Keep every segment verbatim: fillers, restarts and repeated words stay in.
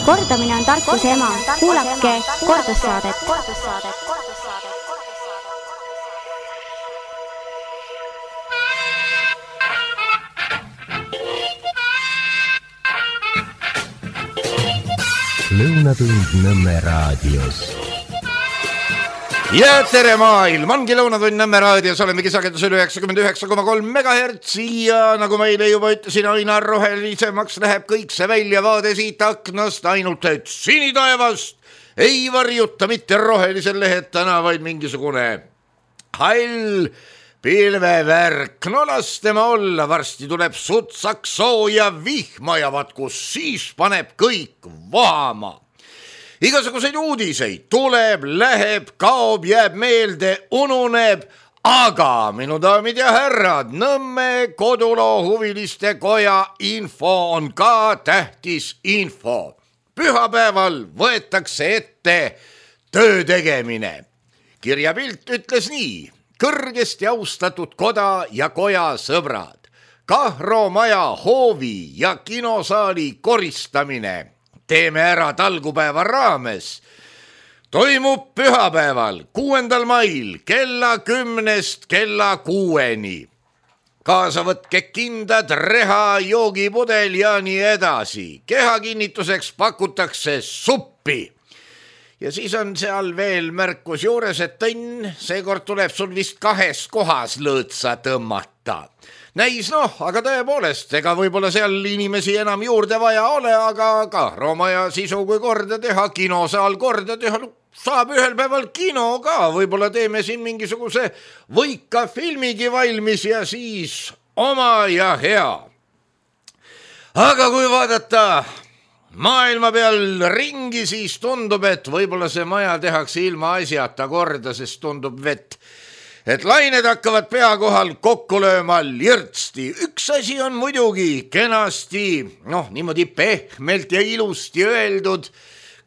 Kordamine on tarkuse ema. Kuulake kordussaadet. Lõunatund Nõmme raadios. Ja tere maailm, ongi Lõunatund Nõmme raadios, oleme kisakendusel üheksakümmend üheksa koma kolm megahertsi ja nagu meile juba ütlesin, aina rohelisemaks läheb kõik see väljavaade siit aknast, ainult et sinitaevast ei varjuta mitte rohelisel lehetana, vaid mingisugune hall pilvevärk. No las tema olla, varsti tuleb sutsaks sooja vihma ja vaat kus siis paneb kõik vohama. Igasuguseid uudiseid tuleb, läheb, kaob, jääb meelde, ununeb, aga minu daamid ja härrad, Nõmme koduloo huviliste koja info on ka tähtis info. Pühapäeval võetakse ette töö tegemine. Kirjapilt ütles nii: kõrgesti austatud koda ja koja sõbrad, Kahro maja hoovi ja kinosaali koristamine teeme ära talgupäeva raames. Toimub pühapäeval, kuuendal mail kella kümnest kella kuueni. Kaasa võtke kindad, reha, joogipudel ja nii edasi. Kehakinnituseks pakutakse suppi. Ja siis on seal veel märkus juures, et Tõnn, seekord tuleb sul vist kahes kohas lõõtsa tõmmata. Näis noh, aga tõepoolest, ega võib-olla seal inimesi enam juurde vaja ole, aga Kahro maja sisu kui korda teha, kinosaal korda teha, saab ühel päeval kino ka, võib-olla teeme siin mingisuguse võika filmigi valmis ja siis oma ja hea. Aga kui vaadata maailma peal ringi, siis tundub, et võib-olla see maja tehakse ilma asjata korda, sest tundub vett, et lained hakkavad pea kohal kokku lööma lirtsti. Üks asi on muidugi kenasti, noh, niimoodi pehmelt ja ilusti öeldud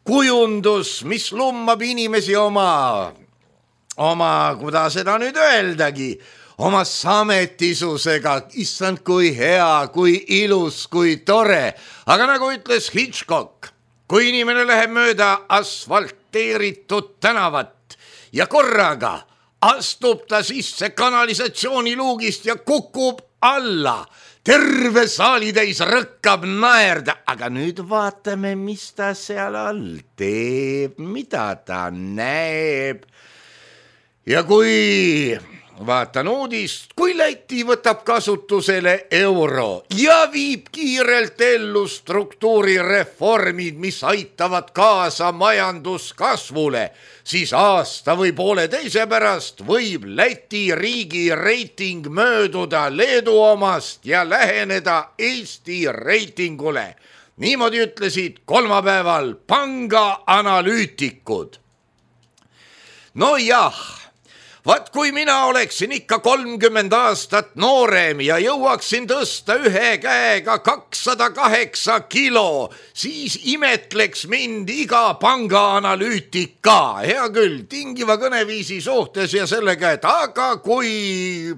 kujundus, mis lummab inimesi oma, oma, kuidas seda nüüd öeldagi, oma sametisusega. Issand, kui hea, kui ilus, kui tore. Aga nagu ütles Hitchcock, kui inimene läheb mööda asfalteeritud tänavat ja korraga astub ta sisse kanalisatsiooniluugist ja kukub alla. Terve saalitäis rõkkab naerda. Aga nüüd vaatame, mis ta seal all teeb, mida ta näeb. Ja kui vaatan uudist, kui Läti võtab kasutusele euro ja viib kiirelt ellu struktuurireformid, mis aitavad kaasa majanduskasvule, siis aasta või poole teise pärast võib Läti riigi reiting mööduda Leedu omast ja läheneda Eesti reitingule. Niimoodi ütlesid kolmapäeval panga analüütikud. No jah, vaat kui mina oleksin ikka kolmkümmend aastat noorem ja jõuaksin tõsta ühe käega kakssada kaheksa kilo, siis imetleks mind iga pangaanalüütik ka. Hea küll, tingiva kõneviisi suhtes ja sellega, et aga kui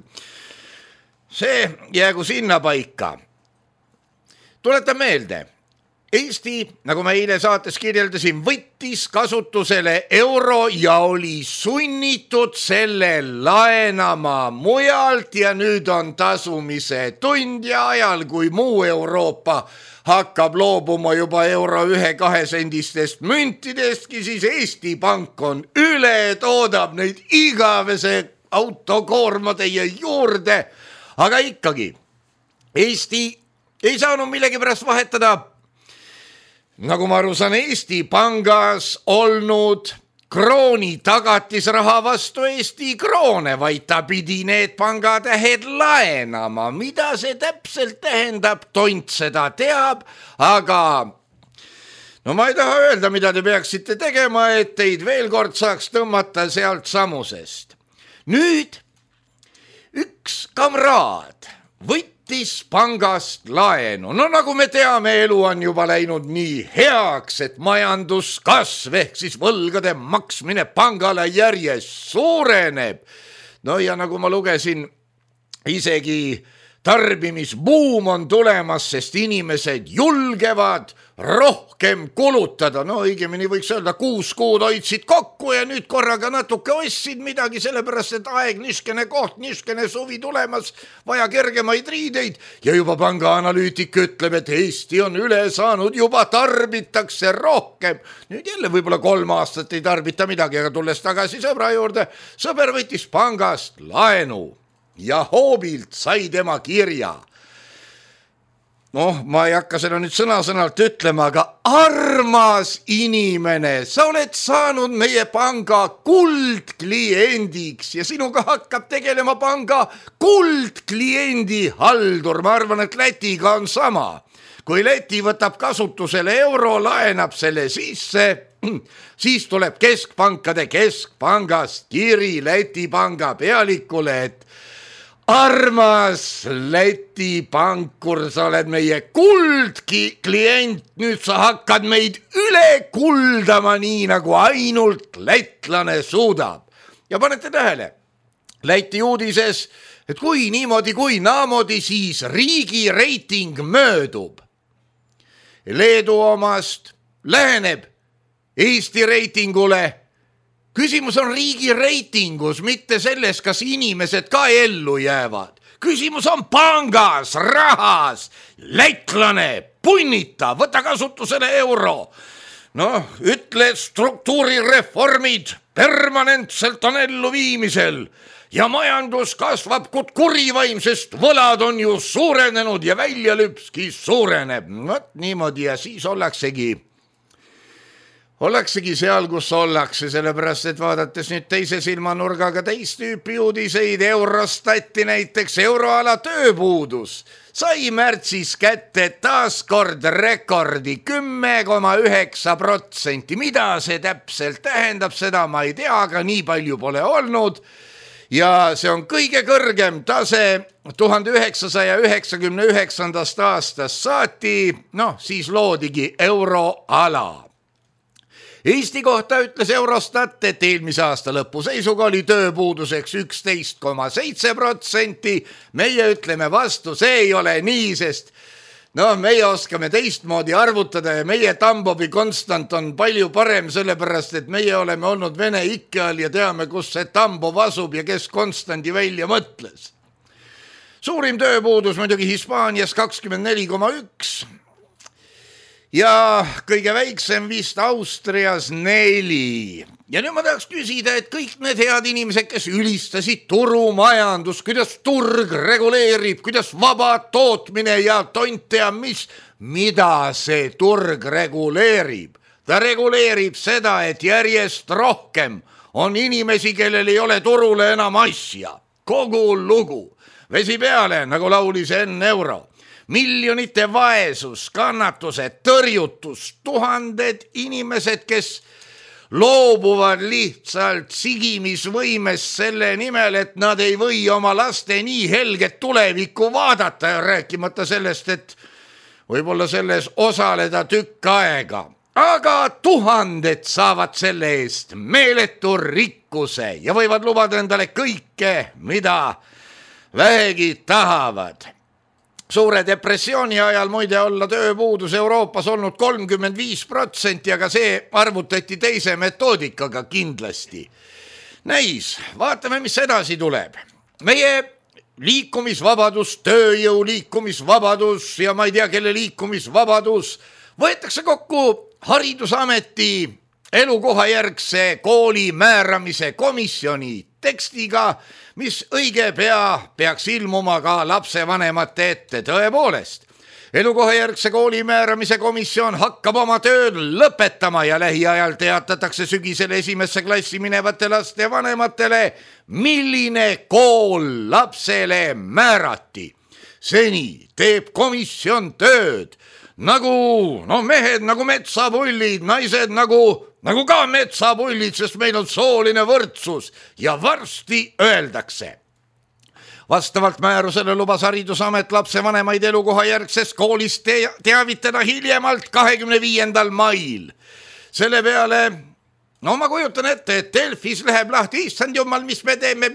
see jäägu sinna paika. Tuletan meelde, Eesti, nagu me eile saates kirjeldasin, võttis kasutusele euro ja oli sunnitud selle laenama mujalt ja nüüd on tasumise tund ja ajal, kui muu Euroopa hakkab loobuma juba euro ühe kahesendistest müntidestki, siis Eesti Pank on üle, toodab neid igavese autokoorma teie juurde, aga ikkagi Eesti ei saanud millegipärast vahetada, nagu ma aru saan, Eesti Pangas olnud krooni tagatisraha vastu Eesti kroone, vaid ta pidi need pangatähed laenama. Mida see täpselt tähendab, tont seda teab, aga no ma ei taha öelda, mida te peaksite tegema, et teid veel kord saaks tõmmata sealt samusest. Nüüd üks kamraad võttis pangast laenu. No nagu me teame, elu on juba läinud nii heaks, et majanduskasv ehk siis võlgade maksmine pangale järjest suureneb. No ja nagu ma lugesin, isegi tarbimisbuum on tulemas, sest inimesed julgevad rohkem kulutada. No õigemini võiks öelda, kuus kuud hoidsid kokku ja nüüd korraga natuke ostsid midagi, sellepärast et aeg, niskene koht, niskene suvi tulemas, vaja kergemaid riideid ja juba pangaanalüütik ütleb, et Eesti on üle saanud, juba tarbitakse rohkem. Nüüd jälle võib-olla kolm aastat ei tarbita midagi, aga tulles tagasi sõbra juurde, sõber võttis pangast laenu ja hoobilt sai tema kirja. Noh, ma ei hakka seda nüüd sõna-sõnalt ütlema, aga armas inimene, sa oled saanud meie panga kuldkliendiks ja sinuga hakkab tegelema panga kuldkliendi haldur. Ma arvan, et Lätiga on sama. Kui Läti võtab kasutusele euro, laenab selle sisse, siis tuleb keskpankade keskpangast kiri Läti panga pealikule, et armas Läti pankur, sa oled meie kuldki klient, nüüd sa hakkad meid üle kuldama nii, nagu ainult lätlane suudab. Ja panete tähele, Läti uudises, et kui niimoodi, kui naamodi, siis riigi reiting möödub. Leedu omast läheneb Eesti reitingule. Küsimus on riigi reitingus, mitte selles, kas inimesed ka ellu jäävad. Küsimus on pangas, rahas, lätlane, punnita, võta kasutusele euro. No, ütle struktuurireformid permanentselt on ellu viimisel ja majandus kasvab kut kurivaim, sest võlad on ju suurenenud ja väljalüpski suureneb. Võt niimoodi ja siis ollaksegi Ollaksegi seal, kus ollakse, sellepärast, et vaadates nüüd teise silmanurgaga teist tüüpi uudiseid, Eurostati näiteks euroala tööpuudus sai märtsis kätte taaskord rekordi kümme koma üheksa protsenti. Mida see täpselt tähendab, seda ma ei tea, aga nii palju pole olnud. Ja see on kõige kõrgem tase tuhande üheksasaja üheksakümne üheksandast aastast saati, noh, siis loodigi euroala. Eesti kohta ütles Eurostat, et eelmise aasta lõpu seisuga oli tööpuuduseks üksteist koma seitse protsenti. Meie ütleme vastu, see ei ole nii, sest no, meie oskame teistmoodi arvutada ja meie Tambovi konstant on palju parem, sellepärast, et meie oleme olnud Vene ikke all ja teame, kus see Tambov asub ja kes konstandi välja mõtles. Suurim tööpuudus muidugi Hispaanias kakskümmend neli koma üks. Ja kõige väiksem vist Austrias neli. Ja nüüd ma tahaks küsida, et kõik need head inimesed, kes ülistasid turumajandus, kuidas turg reguleerib, kuidas vaba tootmine ja tont tea mis, mida see turg reguleerib. Ta reguleerib seda, et järjest rohkem on inimesi, kellel ei ole turule enam asja. Kogu lugu. Vesi peale, nagu laulis enne euro. Miljonite vaesus, kannatused, tõrjutus, tuhanded inimesed, kes loobuvad lihtsalt sigimisvõimest selle nimel, et nad ei või oma laste nii helget tulevikku vaadata ja rääkimata sellest, et võib-olla selles osaleda tükk aega. Aga tuhanded saavad selle eest meeletu rikkuse ja võivad lubada endale kõike, mida vähegi tahavad. Suure depressiooni ajal muide olla tööpuudus Euroopas olnud kolmkümmend viis protsenti, aga see arvutati teise metoodikaga kindlasti. Näis, vaatame, mis edasi tuleb. Meie liikumisvabadus, tööjõu liikumisvabadus ja ma ei tea, kelle liikumisvabadus võetakse kokku Haridusameti elukohajärgse kooli määramise komisjoni tekstiga, mis õige pea peaks ilmuma ka lapsevanemate ette. Tõepoolest, elukohajärgse kooli määramise komisjon hakkab oma tööd lõpetama ja lähiajal teatatakse sügisel esimesse klassi minevate laste vanematele, milline kool lapsele määrati. Seni teeb komisjon tööd nagu no mehed nagu metsapullid, naised nagu Nagu ka metsapullid, sest meil on sooline võrdsus ja varsti öeldakse. Vastavalt määrusele lubas Haridusamet lapsevanemaid elukohajärgsest koolist teavitada hiljemalt kahekümne viiendal mail. Selle peale, no ma kujutan ette, et Delfis läheb lahti, issand jumal, mis me teeme,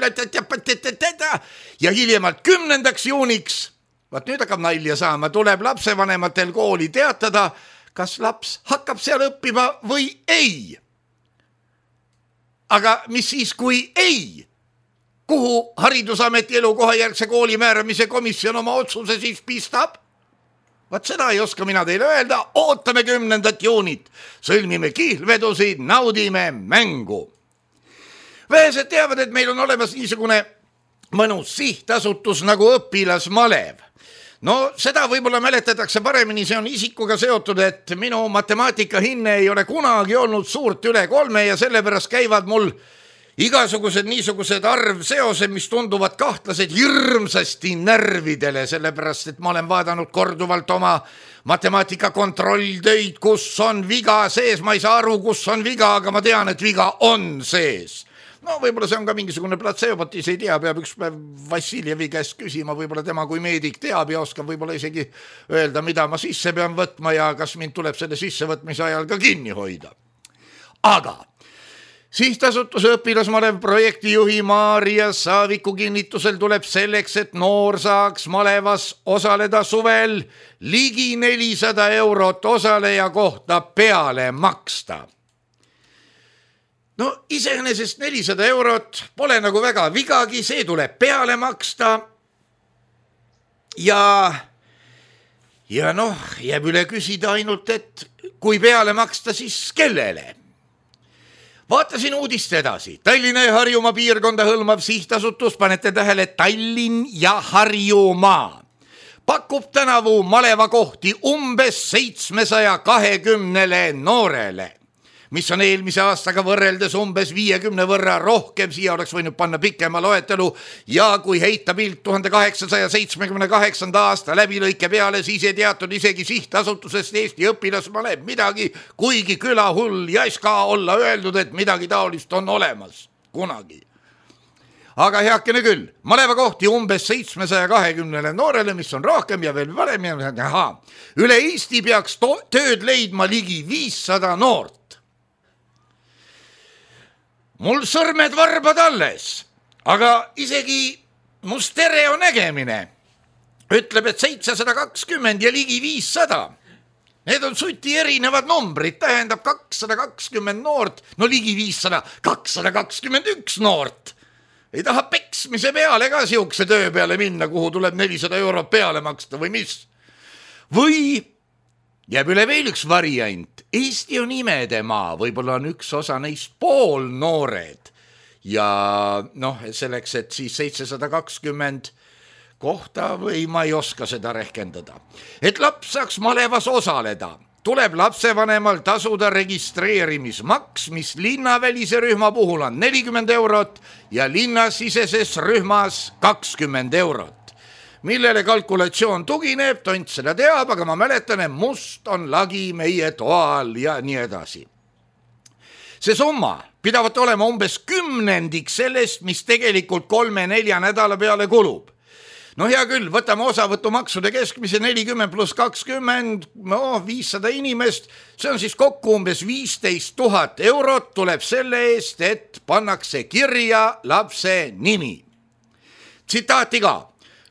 ja hiljemalt kümnendaks juuniks Vaat nüüd hakkab nalja saama, tuleb lapsevanematel kooli teatada, kas laps hakkab seal õppima või ei. Aga mis siis, kui ei? Kuhu Haridusameti elukohajärgse kooli määramise komisjon oma otsuse siis pistab? Vaat seda ei oska mina teile öelda, ootame kümnendat juunit, sõlmime kihlvedusid, naudime mängu. Vähesed teavad, et meil on olemas niisugune mõnus sihtasutus nagu õpilasmalev. No seda võib-olla mäletatakse paremini, see on isikuga seotud, et minu matemaatika hinne ei ole kunagi olnud suurt üle kolme ja sellepärast käivad mul igasugused niisugused arvseosed, mis tunduvad kahtlased hirmsasti närvidele, sellepärast, et ma olen vaadanud korduvalt oma matemaatika kontrolltöid, kus on viga sees, ma ei saa aru, kus on viga, aga ma tean, et viga on sees. No võib-olla see on ka mingisugune platseobot, ise ei tea, peab üks päev Vassiljevi käest küsima, võib-olla tema kui meedik teab ja oskab võib-olla isegi öelda, mida ma sisse pean võtma ja kas mind tuleb selle sissevõtmise ajal ka kinni hoida. Aga sihtasutuse õpilasmalev projektijuhi Maarja Saaviku kinnitusel tuleb selleks, et noor saaks malevas osaleda suvel ligi nelisada eurot osaleja kohta peale maksta. No iseenesest nelisada eurot pole nagu väga vigagi, see tuleb peale maksta ja, ja noh, jääb üle küsida ainult, et kui peale maksta, siis kellele? Vaatasin uudist edasi. Tallinna ja Harjumaa piirkonda hõlmav sihtasutus, panete tähele, Tallinn ja Harjumaa, pakub tänavu maleva kohti umbes seitsmesaja kahekümnele noorele, mis on eelmise aastaga võrreldes umbes viiekümne võrra rohkem, siia oleks võinud panna pikema loetelu ja kui heita pilt tuhande kaheksasaja seitsmekümne kaheksanda aasta läbilõike peale, siis ei teatud isegi sihtasutusest Eesti õpilasmalev midagi, kuigi külahull jäis ka olla öeldud, et midagi taolist on olemas kunagi. Aga heakene küll, maleva kohti umbes seitsmesaja kahekümnele noorele, mis on rohkem ja veel varem, aha, üle Eesti peaks to- tööd leidma ligi viissada noort. Mul sõrmed varbad alles, aga isegi mu stereo nägemine ütleb, et seitsesada kakskümmend ja ligi viissada. Need on suti erinevad numbrid, tähendab kakssada kakskümmend noort, no ligi viissada, kakssada kakskümmend üks noort. Ei taha peksmise peale ka siukse töö peale minna, kuhu tuleb nelisada eurot peale maksta või mis. Või jääb üle veel üks variant. Eesti on imede maa, võib-olla on üks osa neist pool noored ja noh, selleks, et siis seitsesada kakskümmend kohta või ma ei oska seda rehkendada. Et laps saaks malevas osaleda, tuleb lapsevanemal tasuda registreerimismaks, mis linnavälise rühma puhul on nelikümmend eurot ja linnasiseses rühmas kakskümmend eurot. Millele kalkulatsioon tugineb, tont seda teab, aga ma mäletan, et must on lagi meie toal ja nii edasi. See summa pidavat olema umbes kümnendik sellest, mis tegelikult kolme-nelja nädala peale kulub. No hea küll, võtame osavõtumaksude keskmise nelikümmend pluss kakskümmend, no viissada inimest, see on siis kokku umbes viisteist tuhat eurot tuleb selle eest, et pannakse kirja lapse nimi. Tsitaati ka.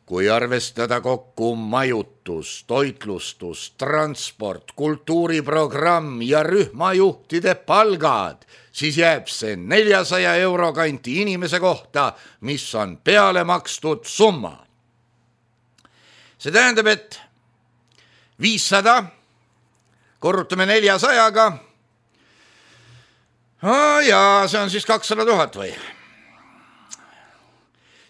Kui arvestada kokku majutus, toitlustus, transport, kultuuriprogramm ja rühmajuhtide palgad, siis jääb see neljasaja euro kanti inimese kohta, mis on peale makstud summa. See tähendab, et viissada korrutame neljasajaga ja see on siis kakssada tuhat või?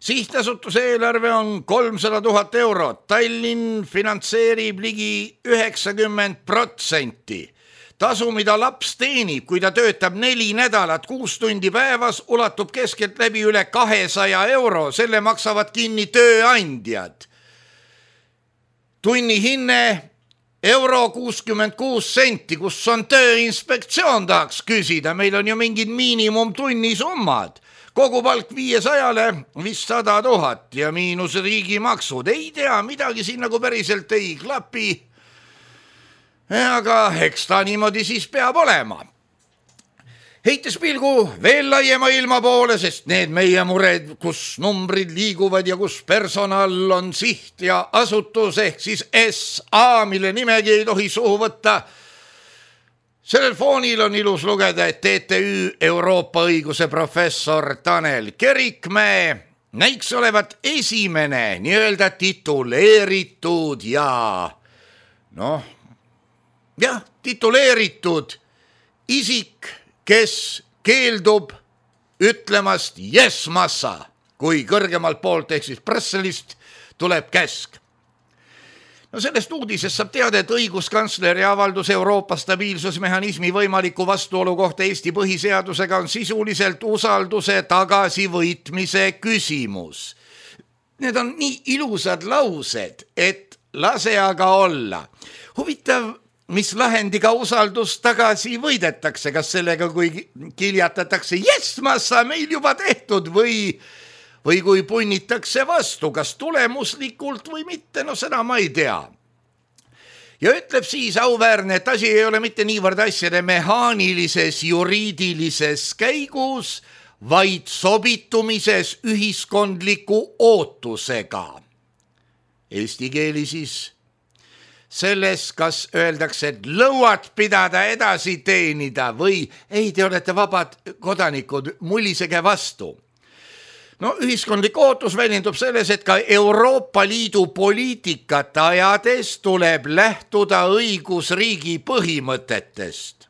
Sihtasutuse eelarve on kolmsada tuhat eurot, Tallinn finantseerib ligi üheksakümmend protsenti. Tasu, mida laps teenib, kui ta töötab neli nädalat, kuus tundi päevas, ulatub keskelt läbi üle kahesaja euro, selle maksavad kinni tööandjad. Tunni hinne euro kuuskümmend kuus senti, kus on tööinspektsioon, tahaks küsida, meil on ju mingid miinimum tunnisummad. Kogu palk viiesajale vist sada tuhat ja miinus riigimaksud. Ei tea, midagi siin nagu päriselt ei klapi. Aga eks ta niimoodi siis peab olema. heites pilgu veel laiema ilma poole, sest need meie mured, kus numbrid liiguvad ja kus personal on siht ja asutus ehk siis S A, mille nimegi ei tohi suhu võtta. Sellel foonil on ilus lugeda, et T T Ü Euroopa õiguse professor Tanel Kerikmäe näiks olevat esimene nii-öelda tituleeritud ja noh, jah, tituleeritud isik, kes keeldub ütlemast yes massa, kui kõrgemalt poolt ehk siis Brüsselist tuleb käsk. No sellest uudisest saab teada, et õiguskantsleri avaldus Euroopa stabiilsusmehhanismi võimaliku vastuolu kohta Eesti põhiseadusega on sisuliselt usalduse tagasivõitmise küsimus. Need on nii ilusad laused, et lase aga olla. Huvitav, mis lahendiga usaldus tagasi võidetakse, kas sellega, kui kiljatatakse, yes, massa meil juba tehtud või, või kui punnitakse vastu, kas tulemuslikult või mitte, no seda ma ei tea. Ja ütleb siis auväärne, et asi ei ole mitte niivõrd asjade mehaanilises juriidilises käigus, vaid sobitumises ühiskondliku ootusega. Eesti keeli siis selles, kas öeldakse, et lõuad pidada edasi teenida või ei, te olete vabad kodanikud, mullisege vastu. No ühiskondlik ootus väljendub selles, et ka Euroopa Liidu poliitikat ajades tuleb lähtuda õigusriigi põhimõtetest.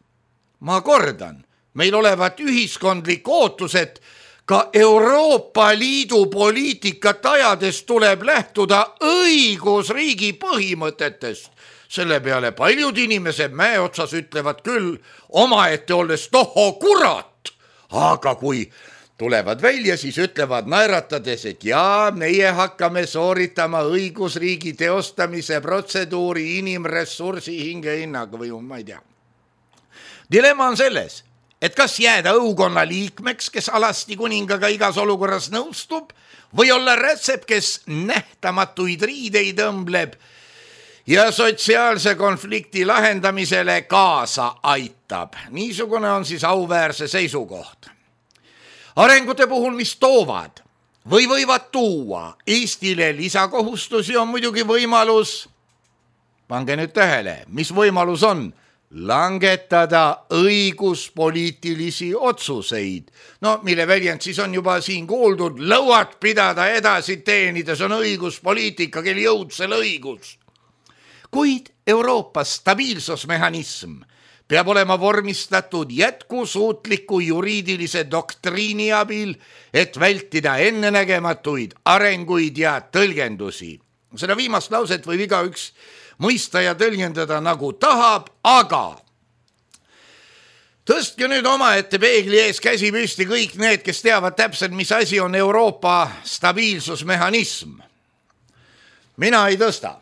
Ma kordan, meil olevat ühiskondlik ootus, et ka Euroopa Liidu poliitikat ajades tuleb lähtuda õigusriigi põhimõtetest. Selle peale paljud inimesed mäe otsas ütlevad küll omaette olles tohho kurat, aga kui tulevad välja, siis ütlevad naeratades, et jaa, meie hakkame sooritama õigusriigi teostamise protseduuri inimressursi hingehinnaga või ma ei tea. Dilemma on selles, et kas jääda õukonna liikmeks, kes alasti kuningaga igas olukorras nõustub, või olla rätsep, kes nähtamatuid riideid õmbleb ja sotsiaalse konflikti lahendamisele kaasa aitab. Niisugune on siis auväärse seisukoht. Arengute puhul, mis toovad või võivad tuua Eestile lisakohustusi, on muidugi võimalus, pange nüüd tähele, mis võimalus on, langetada õiguspoliitilisi otsuseid. No, mille väljend siis on juba siin kuuldud, lõuad pidada edasi teenides on õiguspoliitika, kel jõud selle õigus. Kuid Euroopa stabiilsusmehhanism peab olema vormistatud jätkusuutliku juriidilise doktriini abil, et vältida ennenägematuid arenguid ja tõlgendusi. Seda viimast lauset võib igaüks mõista ja tõlgendada nagu tahab, aga tõstke nüüd omaette peegli ees käsi püsti kõik need, kes teavad täpselt, mis asi on Euroopa stabiilsusmehhanism. Mina ei tõsta.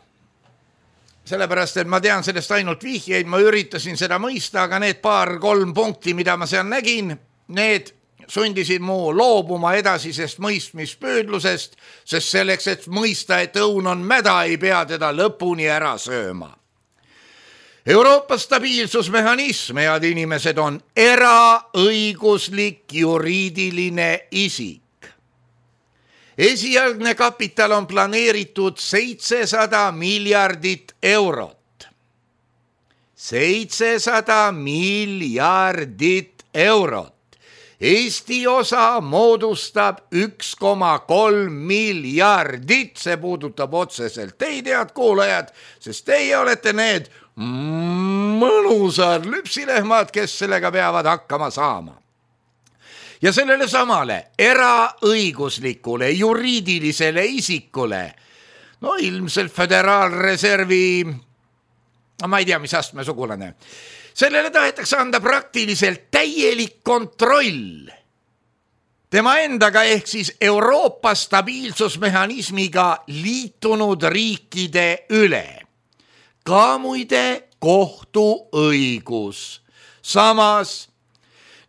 Sellepärast, et ma tean sellest ainult vihjeid, ma üritasin seda mõista, aga need paar-kolm punkti, mida ma seal nägin, need sundisid mu loobuma edasisest mõistmispüüdlusest, sest selleks, et mõista, et õun on mäda, ei pea teda lõpuni ära sööma. Euroopa stabiilsusmehhanism, head inimesed, on eraõiguslik juriidiline isik. Esialgne kapital on planeeritud seitsesada miljardit eurot. seitsesada miljardit eurot. Eesti osa moodustab üks koma kolm miljardit, see puudutab otseselt teid, head kuulajad, sest teie olete need mõnusad lüpsilehmad, kes sellega peavad hakkama saama. Ja sellele samale eraõiguslikule juriidilisele isikule, no ilmselt Föderaalreservi, ma ei tea, mis astme sugulane, sellele tahetakse anda praktiliselt täielik kontroll tema endaga ehk siis Euroopa stabiilsusmehhanismiga liitunud riikide üle. Ka muide kohtuõigus. Samas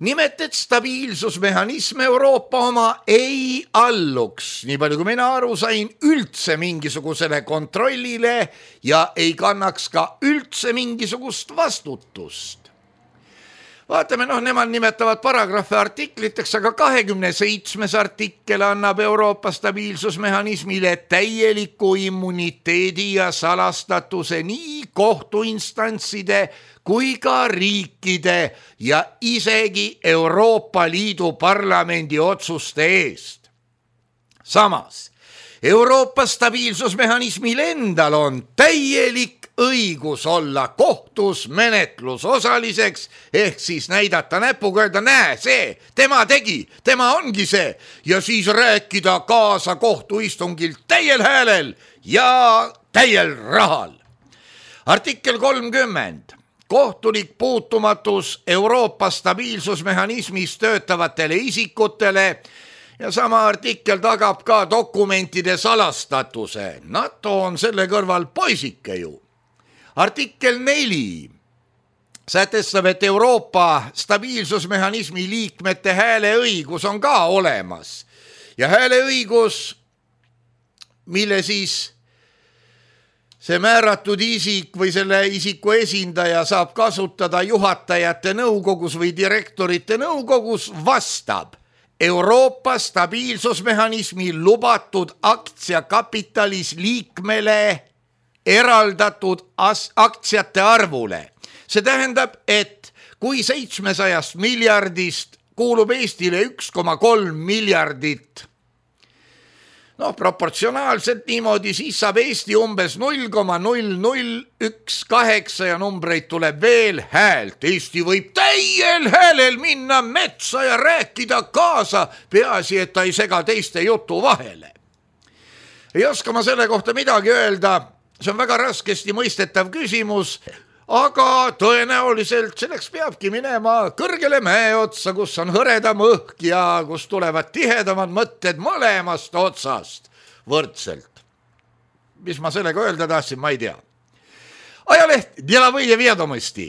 nimelt, et stabiilsusmehhanism Euroopa oma ei alluks, nii palju kui mina aru sain, üldse mingisugusele kontrollile ja ei kannaks ka üldse mingisugust vastutust. Vaatame, noh, nemad nimetavad paragrahve artikliteks, aga kahekümne seitsmes artikkel annab Euroopa stabiilsusmehhanismile täieliku immuniteedi ja salastatuse nii kohtuinstantside kui ka riikide ja isegi Euroopa Liidu parlamendi otsuste eest. Samas, Euroopa stabiilsusmehhanismil endal on täielik õigus olla kohtus menetlusosaliseks, ehk siis näidata näpuga, öelda, näe, see, tema tegi, tema ongi see, ja siis rääkida kaasa kohtuistungil täiel häälel ja täiel rahal. Artikkel kolmkümmend. Kohtulik puutumatus Euroopa stabiilsusmehhanismis töötavatele isikutele ja sama artikkel tagab ka dokumentide salastatuse. NATO on selle kõrval poisike ju. Artikkel neli sätestab, et Euroopa stabiilsusmehhanismi liikmete hääleõigus on ka olemas. Ja hääleõigus, mille siis see määratud isik või selle isiku esindaja saab kasutada juhatajate nõukogus või direktorite nõukogus, vastab Euroopa stabiilsusmehhanismi lubatud aktsiakapitalis liikmele eraldatud aktsiate arvule. See tähendab, et kui seitsmesajast miljardist kuulub Eestile üks koma kolm miljardit, no proportsionaalselt niimoodi, siis saab Eesti umbes null koma null null üks kaheksa ja numbreid tuleb veel häält. Eesti võib täiel häälel minna metsa ja rääkida kaasa, peaasi, et ta ei sega teiste jutu vahele. Ei oska ma selle kohta midagi öelda, see on väga raskesti mõistetav küsimus, aga tõenäoliselt selleks peabki minema kõrgele mäe otsa, kus on hõredam õhk ja kus tulevad tihedamad mõtted mõlemast otsast võrdselt. Mis ma sellega öelda tahtsin, ma ei tea. Ajaleht Delovõje Viedomosti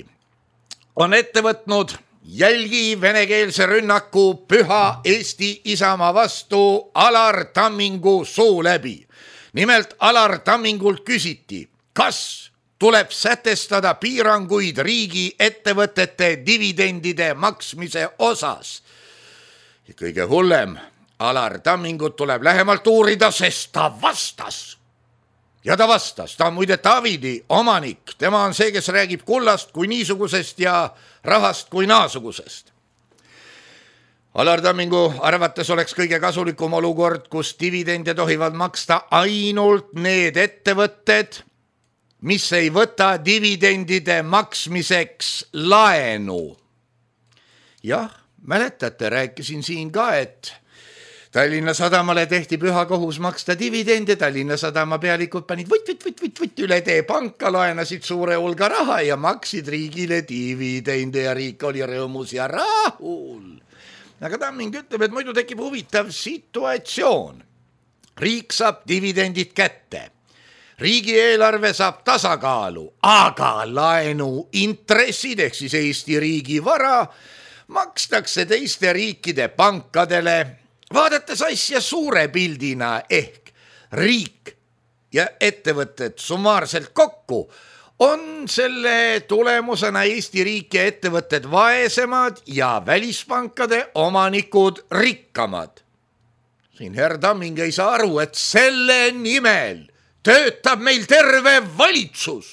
on ette võtnud jälgi venekeelse rünnaku püha Eesti Isamaa vastu Alar Tammingu suu läbi. Nimelt Alar Tammingult küsiti, kas tuleb sätestada piiranguid riigi ettevõtete dividendide maksmise osas. Ja kõige hullem, Alar Tammingut tuleb lähemalt uurida, sest ta vastas. Ja ta vastas, ta on muide Tavidi omanik, tema on see, kes räägib kullast kui niisugusest ja rahast kui naasugusest. Alar Tammingu arvates oleks kõige kasulikum olukord, kus dividende tohivad maksta ainult need ettevõtted, mis ei võta dividendide maksmiseks laenu. Jah, mäletate, rääkisin siin ka, et Tallinna Sadamale tehti püha kohus maksta dividende, Tallinna Sadama pealikud panid võtt, võtt, võtt, võtt, võtt üle tee panka, laenasid suure hulga raha ja maksid riigile dividende ja riik oli rõõmus ja rahul. Aga Tamming ütleb, et muidu tekib huvitav situatsioon. Riik saab dividendid kätte. Riigieelarve saab tasakaalu, aga laenu intressid ehk siis Eesti riigi vara makstakse teiste riikide pankadele. Vaadates asja suure pildina ehk riik ja ettevõtted summaarselt kokku, on selle tulemusena Eesti riik ja ettevõtted vaesemad ja välispankade omanikud rikkamad. Siin herr Tamming ei saa aru, et selle nimel töötab meil terve valitsus.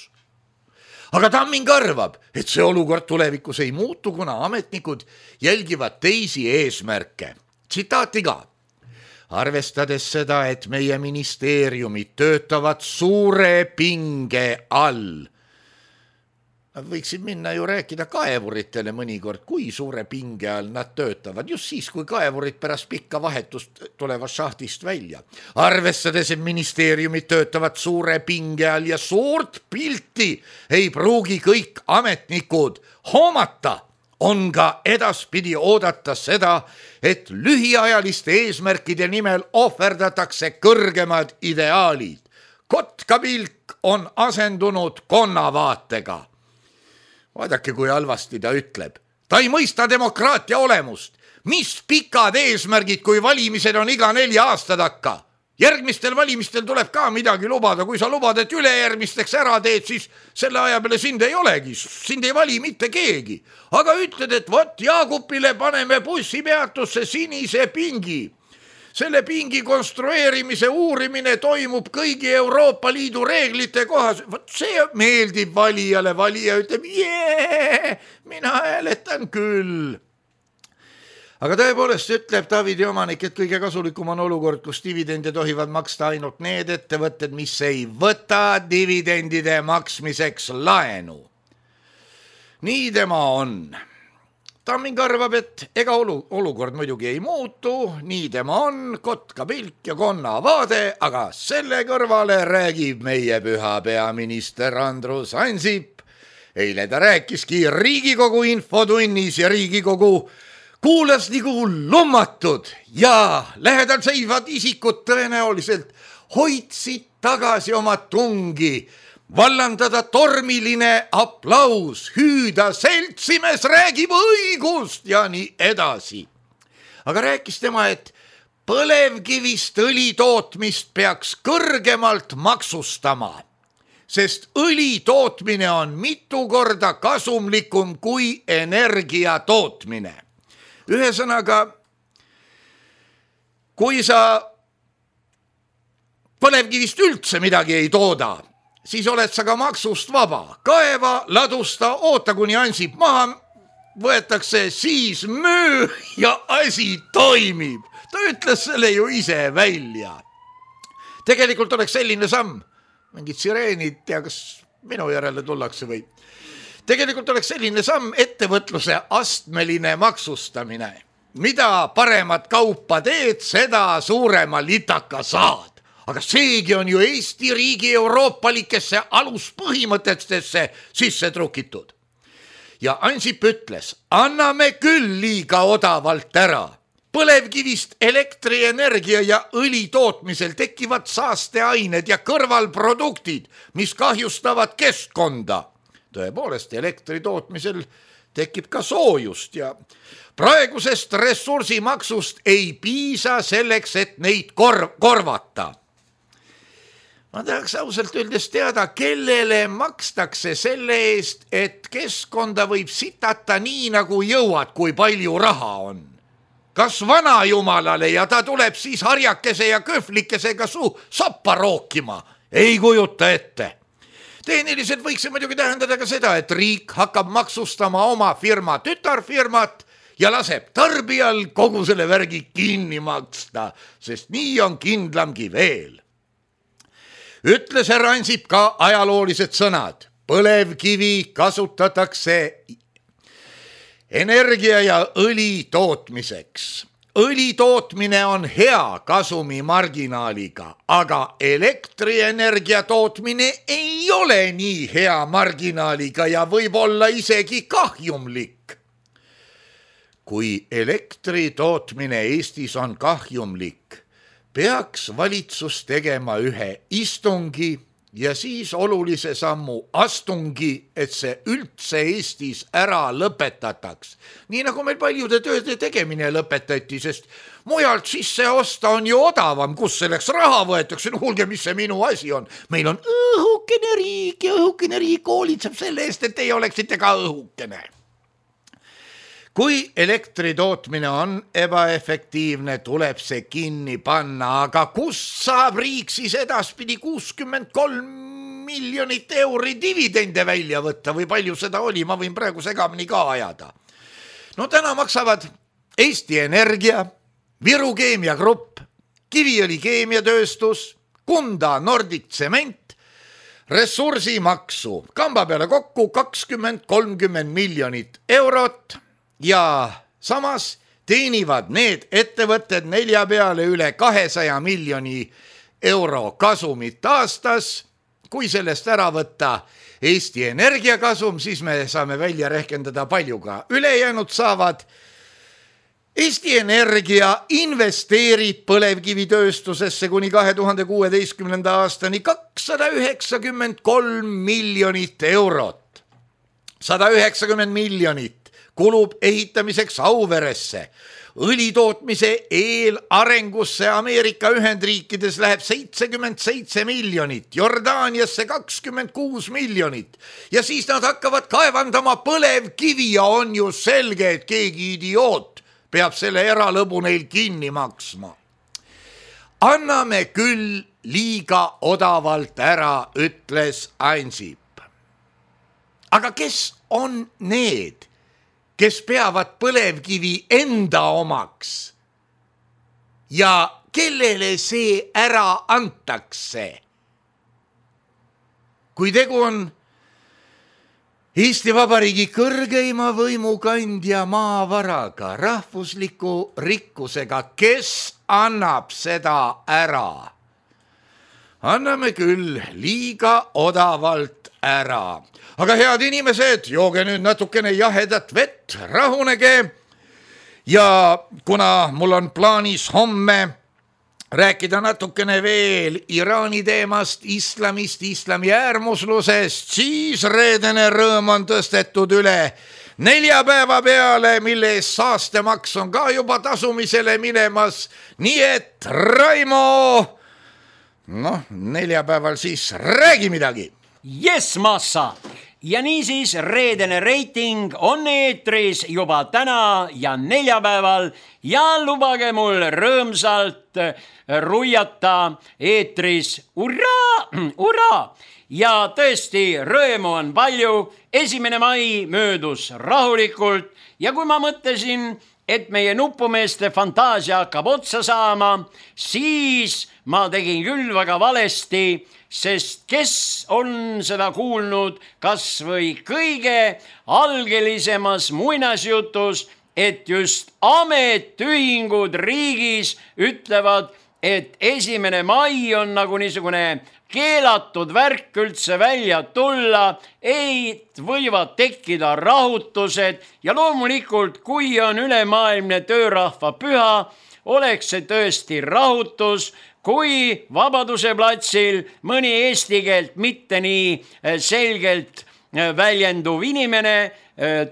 Aga Tamming arvab, et see olukord tulevikus ei muutu, kuna ametnikud jälgivad teisi eesmärke. Tsitaati ka. Arvestades seda, et meie ministeeriumid töötavad suure pinge all. Nad võiksid minna ju rääkida kaevuritele mõnikord, kui suure pinge all nad töötavad, just siis, kui kaevurid pärast pikka vahetust tulevad šahtist välja. Arvestades, et ministeeriumid töötavad suure pinge all ja suurt pilti ei pruugi kõik ametnikud hoomata, on ka edaspidi oodata seda, et lühiajaliste eesmärkide nimel ohverdatakse kõrgemad ideaalid. Kotkapilk on asendunud konnavaatega. Vaadake, kui halvasti ta ütleb. Ta ei mõista demokraatia olemust. Mis pikad eesmärgid, kui valimised on iga nelja aasta takka? Järgmistel valimistel tuleb ka midagi lubada, kui sa lubad, et ülejärgmisteks ära teed, siis selle aja peale sind ei olegi, sind ei vali mitte keegi. Aga ütled, et vot Jaagupile paneme bussipeatusse sinise pingi. Selle pingi konstrueerimise uurimine toimub kõigi Euroopa Liidu reeglite kohas. Vot see meeldib valijale, valija ütleb, jee, mina hääletan küll. Aga tõepoolest ütleb Davidi omanik, et kõige kasulikum on olukord, kus dividende tohivad maksta ainult need ettevõtted, mis ei võta dividendide maksmiseks laenu. Nii tema on. Tamming arvab, et ega olukord muidugi ei muutu, nii tema on, kotka pilk ja konna vaade, aga selle kõrvale räägib meie püha peaminister Andrus Ansip. Eile ta rääkiski Riigikogu infotunnis ja Riigikogu kuulas nagu lummatud ja lähedal seisvad isikud tõenäoliselt hoidsid tagasi oma tungi, vallandada tormiline aplaus, hüüda seltsimees räägib õigust ja nii edasi. Aga rääkis tema, et põlevkivist õli tootmist peaks kõrgemalt maksustama, sest õli tootmine on mitu korda kasumlikum kui energia tootmine. Ühesõnaga, kui sa põlevkivist üldse midagi ei tooda, siis oled sa ka maksust vaba. Kaeva, ladusta, oota kuni Ansip maha võetakse, siis müü ja asi toimib. Ta ütles selle ju ise välja. Tegelikult oleks selline samm, mingid sireenid, tea kas minu järele tullakse või. Tegelikult oleks selline samm ettevõtluse astmeline maksustamine. Mida paremat kaupa teed, seda suurema litaka saad. Aga seegi on ju Eesti riigi euroopalikesse aluspõhimõtetesse sisse trukitud. Ja Ansip ütles, anname küll liiga odavalt ära. Põlevkivist elektrienergia ja õli tootmisel tekivad saasteained ja kõrvalproduktid, mis kahjustavad keskkonda. Tõepoolest, elektri tootmisel tekib ka soojust ja praegusest ressursimaksust ei piisa selleks, et neid kor- korvata. Ma tahaks ausalt öeldes teada, kellele makstakse selle eest, et keskkonda võib sitata nii, nagu jõuad, kui palju raha on. Kas vana jumalale ja ta tuleb siis harjakese ja köhvlikesega su sappa rookima? Ei kujuta ette. Tehniliselt võiks see muidugi tähendada ka seda, et riik hakkab maksustama oma firma tütarfirmat ja laseb tarbijal kogu selle värgi kinni maksta, sest nii on kindlamgi veel. Ütles härra Ansip ka ajaloolised sõnad. Põlevkivi kasutatakse energia ja õli tootmiseks. Õli tootmine on hea kasumi marginaaliga, aga elektrienergia tootmine ei ole nii hea marginaaliga ja võib olla isegi kahjumlik. Kui elektri tootmine Eestis on kahjumlik, peaks valitsus tegema ühe istungi ja siis olulise sammu astungi, et see üldse Eestis ära lõpetataks. Nii nagu meil paljude tööde tegemine lõpetati, sest mujalt sisse osta on ju odavam, kus selleks raha võetakse. No kuulge, mis see minu asi on? Meil on õhukene riik ja õhukene riik hoolitseb selle eest, et teie oleksite ka õhukene. Kui elektri tootmine on ebaefektiivne, tuleb see kinni panna, aga kust saab riik siis edaspidi kuuskümmend kolm miljonit euri dividende välja võtta või palju seda oli, ma võin praegu segamini ka ajada. No täna maksavad Eesti Energia, Viru Keemiagrupp, Kiviõli keemiatööstus, Kunda Nordic Tsement, ressursimaksu kamba peale kokku kakskümmend kolmkümmend miljonit eurot. Ja samas teenivad need ettevõtted nelja peale üle kahesaja miljoni euro kasumit aastas. Kui sellest ära võtta Eesti Energia kasum, siis me saame välja rehkendada paljuga. Ülejäänud saavad. Eesti Energia investeerib põlevkivitööstusesse kuni kahe tuhande kuueteistkümnenda aastani kakssada üheksakümmend kolm miljonit eurot. sada üheksakümmend miljonit kulub ehitamiseks Auveresse. õlitootmise eelarengusse Ameerika Ühendriikides läheb seitsekümmend seitse miljonit, Jordaaniasse kakskümmend kuus miljonit ja siis nad hakkavad kaevandama põlevkivi ja on ju selge, et keegi idioot peab selle eralõbu neil kinni maksma. Anname küll liiga odavalt ära, ütles Ansip. Aga kes on need, kes peavad põlevkivi enda omaks ja kellele see ära antakse? Kui tegu on Eesti Vabariigi kõrgeima võimukandja maavaraga, rahvusliku rikkusega, kes annab seda ära? Anname küll liiga odavalt ära. Aga head inimesed, jooge nüüd natukene jahedat vett, rahunege. Ja kuna mul on plaanis homme rääkida natukene veel Iraani teemast, islamist, islami äärmuslusest, siis reedene rõõm on tõstetud üle neljapäeva peale, mille eest saastemaks on ka juba tasumisele minemas. Nii et Raimo, noh, neljapäeval siis räägi midagi. Yes, massa! Ja niisiis reedene reiting on eetris juba täna ja neljapäeval ja lubage mul rõõmsalt ruiata eetris urraa, urraa! Ja tõesti, rõõmu on palju, esimene mai möödus rahulikult ja kui ma mõtlesin, et meie nupumeeste fantaasia hakkab otsa saama, siis ma tegin küll väga valesti, sest kes on seda kuulnud kas või kõige algelisemas muinasjutus, et just ametiühingud riigis ütlevad, et esimene mai on nagu niisugune keelatud värk üldse välja tulla, ei võivad tekkida rahutused ja loomulikult, kui on ülemaailmne töörahva püha, oleks see tõesti rahutus, kui Vabaduse platsil mõni eesti keelt mitte nii selgelt väljenduv inimene,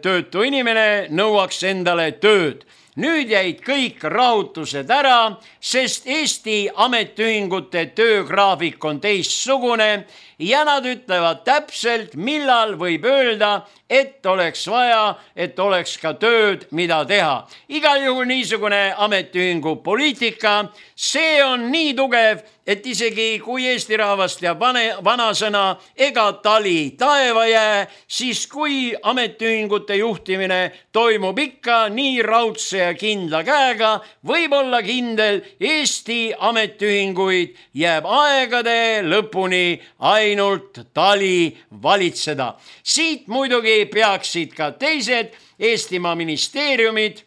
töötu inimene nõuaks endale tööd. Nüüd jäid kõik rahutused ära, sest Eesti ametiühingute töögraafik on teistsugune ja nad ütlevad täpselt, millal võib öelda, et oleks vaja, et oleks ka tööd, mida teha. Igal juhul niisugune ametiühingu poliitika, see on nii tugev, et isegi kui Eesti rahvast teab vanasõna ega tali taeva jää, siis kui ametiühingute juhtimine toimub ikka nii raudse ja kindla käega, võib olla kindel, Eesti ametiühinguid jääb aegade lõpuni ainult tali valitseda. Siit muidugi peaksid ka teised Eestimaa ministeeriumid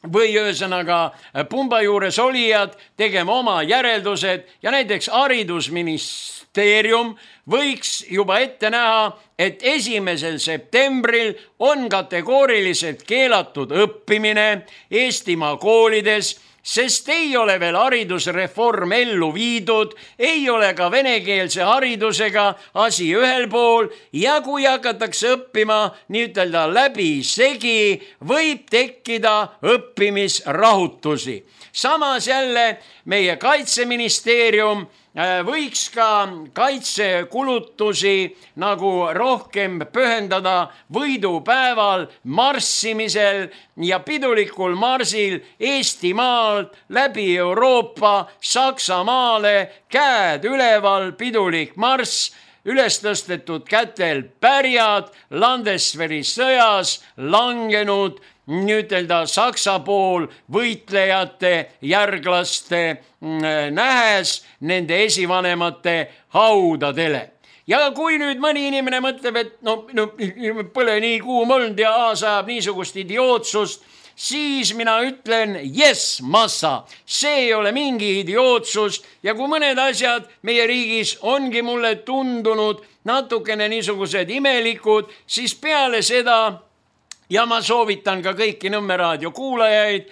või ühesõnaga pumba juures olijad tegema oma järeldused ja näiteks haridusministeerium võiks juba ette näha, et esimesel septembril on kategooriliselt keelatud õppimine Eestimaa koolides, sest ei ole veel haridusreform ellu viidud, ei ole ka venekeelse haridusega asi ühel pool ja kui hakatakse õppima nii-ütelda läbi segi, võib tekkida õppimisrahutusi. Samas jälle meie kaitseministeerium võiks ka kaitsekulutusi nagu rohkem pühendada võidupäeval marssimisel ja pidulikul marsil Eestimaalt läbi Euroopa Saksamaale, käed üleval, pidulik marss, üles tõstetud kätel pärjad, Landesveri sõjas langenud nüütelda Saksa pool võitlejate järglaste nähes nende esivanemate haudadele. Ja kui nüüd mõni inimene mõtleb, et no, no pole nii kuum olnud ja aasajab niisugust idiootsust, siis mina ütlen, yes, massa, see ei ole mingi idiootsus ja kui mõned asjad meie riigis ongi mulle tundunud natukene niisugused imelikud, siis peale seda ja ma soovitan ka kõiki Nõmme raadio kuulajaid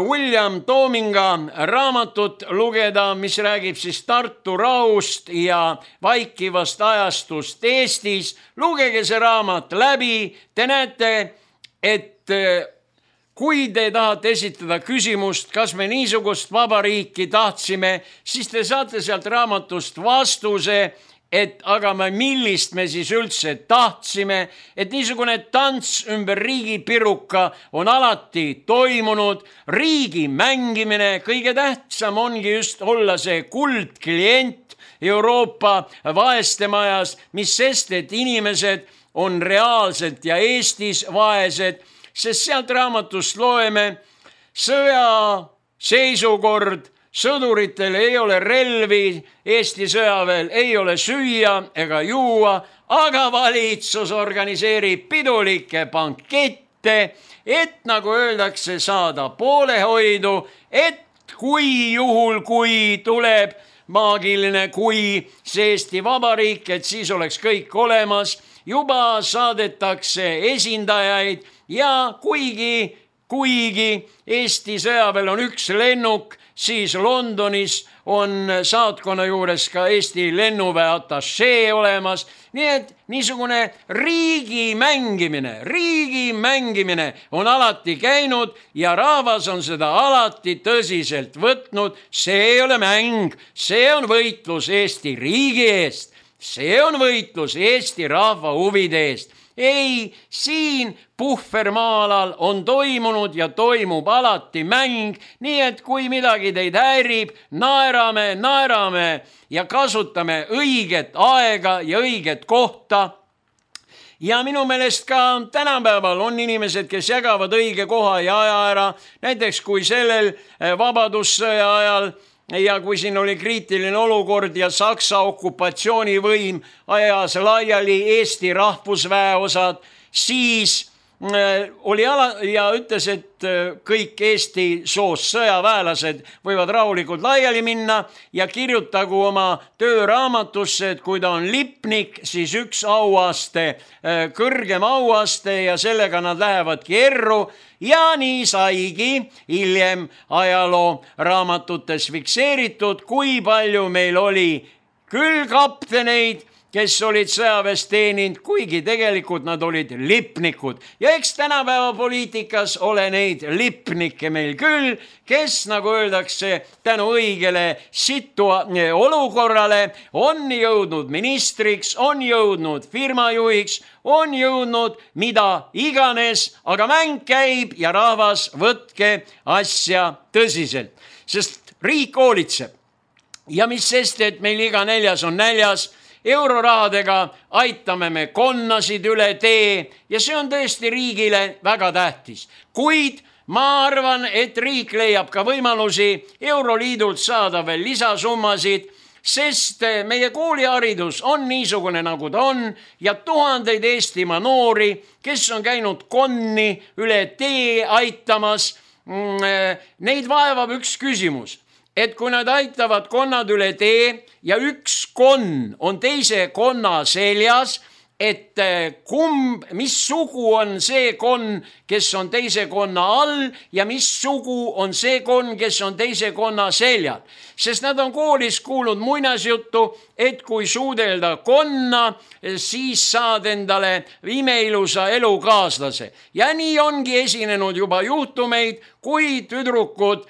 William Toominga raamatut lugeda, mis räägib siis Tartu rahust ja vaikivast ajastust Eestis. Lugege see raamat läbi, te näete, et kui te tahate esitada küsimust, kas me niisugust vabariiki tahtsime, siis te saate sealt raamatust vastuse, et aga me millist me siis üldse tahtsime, et niisugune tants ümber riigipiruka on alati toimunud, riigi mängimine, kõige tähtsam ongi just olla see kuldklient Euroopa vaeste majas, mis sest, et inimesed on reaalselt ja Eestis vaesed, sest sealt raamatust loeme sõja seisukord, sõduritel ei ole relvi, Eesti sõjaväel ei ole süüa ega juua, aga valitsus organiseerib pidulikke bankette, et nagu öeldakse, saada poolehoidu, et kui juhul, kui tuleb maagiline, kui see Eesti Vabariik, et siis oleks kõik olemas, juba saadetakse esindajaid ja kuigi, kuigi Eesti sõjaväel on üks lennuk, siis Londonis on saatkonna juures ka Eesti lennuväe atašee olemas. Nii et niisugune riigi mängimine, riigi mängimine on alati käinud ja rahvas on seda alati tõsiselt võtnud. See ei ole mäng, see on võitlus Eesti riigi eest. See on võitlus Eesti rahva huvide eest. Ei, siin puhvermaalal on toimunud ja toimub alati mäng, nii et kui midagi teid häirib, naerame, naerame ja kasutame õiget aega ja õiget kohta. Ja minu meelest ka tänapäeval on inimesed, kes jagavad õige koha ja aja ära, näiteks kui sellel vabadussõja ajal ja kui siin oli kriitiline olukord ja Saksa okupatsioonivõim ajas laiali Eesti rahvusväeosad, siis oli ala ja ütles, et kõik Eesti soost sõjaväelased võivad rahulikult laiali minna ja kirjutagu oma tööraamatusse, et kui ta on lipnik, siis üks auaste, kõrgem auaste ja sellega nad lähevadki erru. Ja nii saigi hiljem ajaloo raamatutes fikseeritud, kui palju meil oli küll kapteneid, kes olid sõjaväes teeninud, kuigi tegelikult nad olid lipnikud. Ja eks tänapäeva poliitikas ole neid lipnikke meil küll, kes, nagu öeldakse, tänu õigele situa olukorrale on jõudnud ministriks, on jõudnud firmajuhiks, on jõudnud mida iganes, aga mäng käib ja rahvas võtke asja tõsiselt, sest riik hoolitseb. Ja mis sest, et meil iga neljas on näljas, eurorahadega aitame me konnasid üle tee ja see on tõesti riigile väga tähtis. Kuid ma arvan, et riik leiab ka võimalusi Euroliidult saada veel lisasummasid, sest meie kooliharidus on niisugune, nagu ta on ja tuhandeid Eestimaa noori, kes on käinud konni üle tee aitamas, neid vaevab üks küsimus. Et kui nad aitavad konnad üle tee ja üks konn on teise konna seljas, et kumb, mis sugu on see konn, kes on teise konna all ja mis sugu on see konn, kes on teise konna seljal. Sest nad on koolis kuulnud muinasjuttu, et kui suudelda konna, siis saad endale imeilusa elukaaslase. Ja nii ongi esinenud juba juhtumeid, kui tüdrukud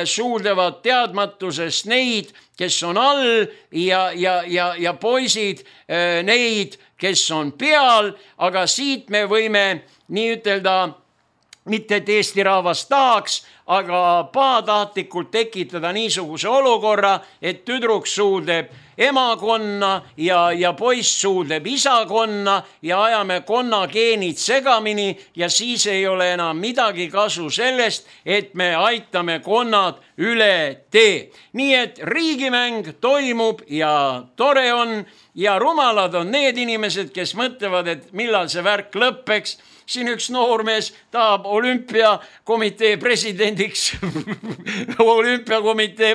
suudlevad teadmatusest neid, kes on all ja, ja, ja, ja poisid neid, kes on peal, aga siit me võime nii ütelda, mitte et Eesti rahvas tahaks, aga pahatahtlikult tekitada niisuguse olukorra, et tüdruk suudleb emakonna ja, ja poiss suudleb isakonna ja ajame konna geenid segamini ja siis ei ole enam midagi kasu sellest, et me aitame konnad üle tee. Nii et riigimäng toimub ja tore on ja rumalad on need inimesed, kes mõtlevad, et millal see värk lõppeks. Siin üks noormees tahab olümpiakomitee presidendiks, olümpiakomitee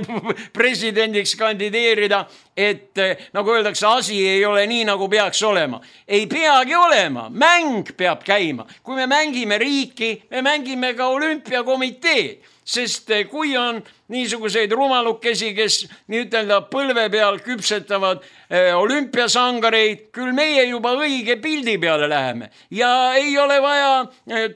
presidendiks kandideerida, et nagu öeldakse, asi ei ole nii, nagu peaks olema. Ei peagi olema, mäng peab käima. Kui me mängime riiki, me mängime ka olümpiakomiteed. sest kui on niisuguseid rumalukesi, kes nii ütelda põlve peal küpsetavad olümpiasangareid, küll meie juba õige pildi peale läheme ja ei ole vaja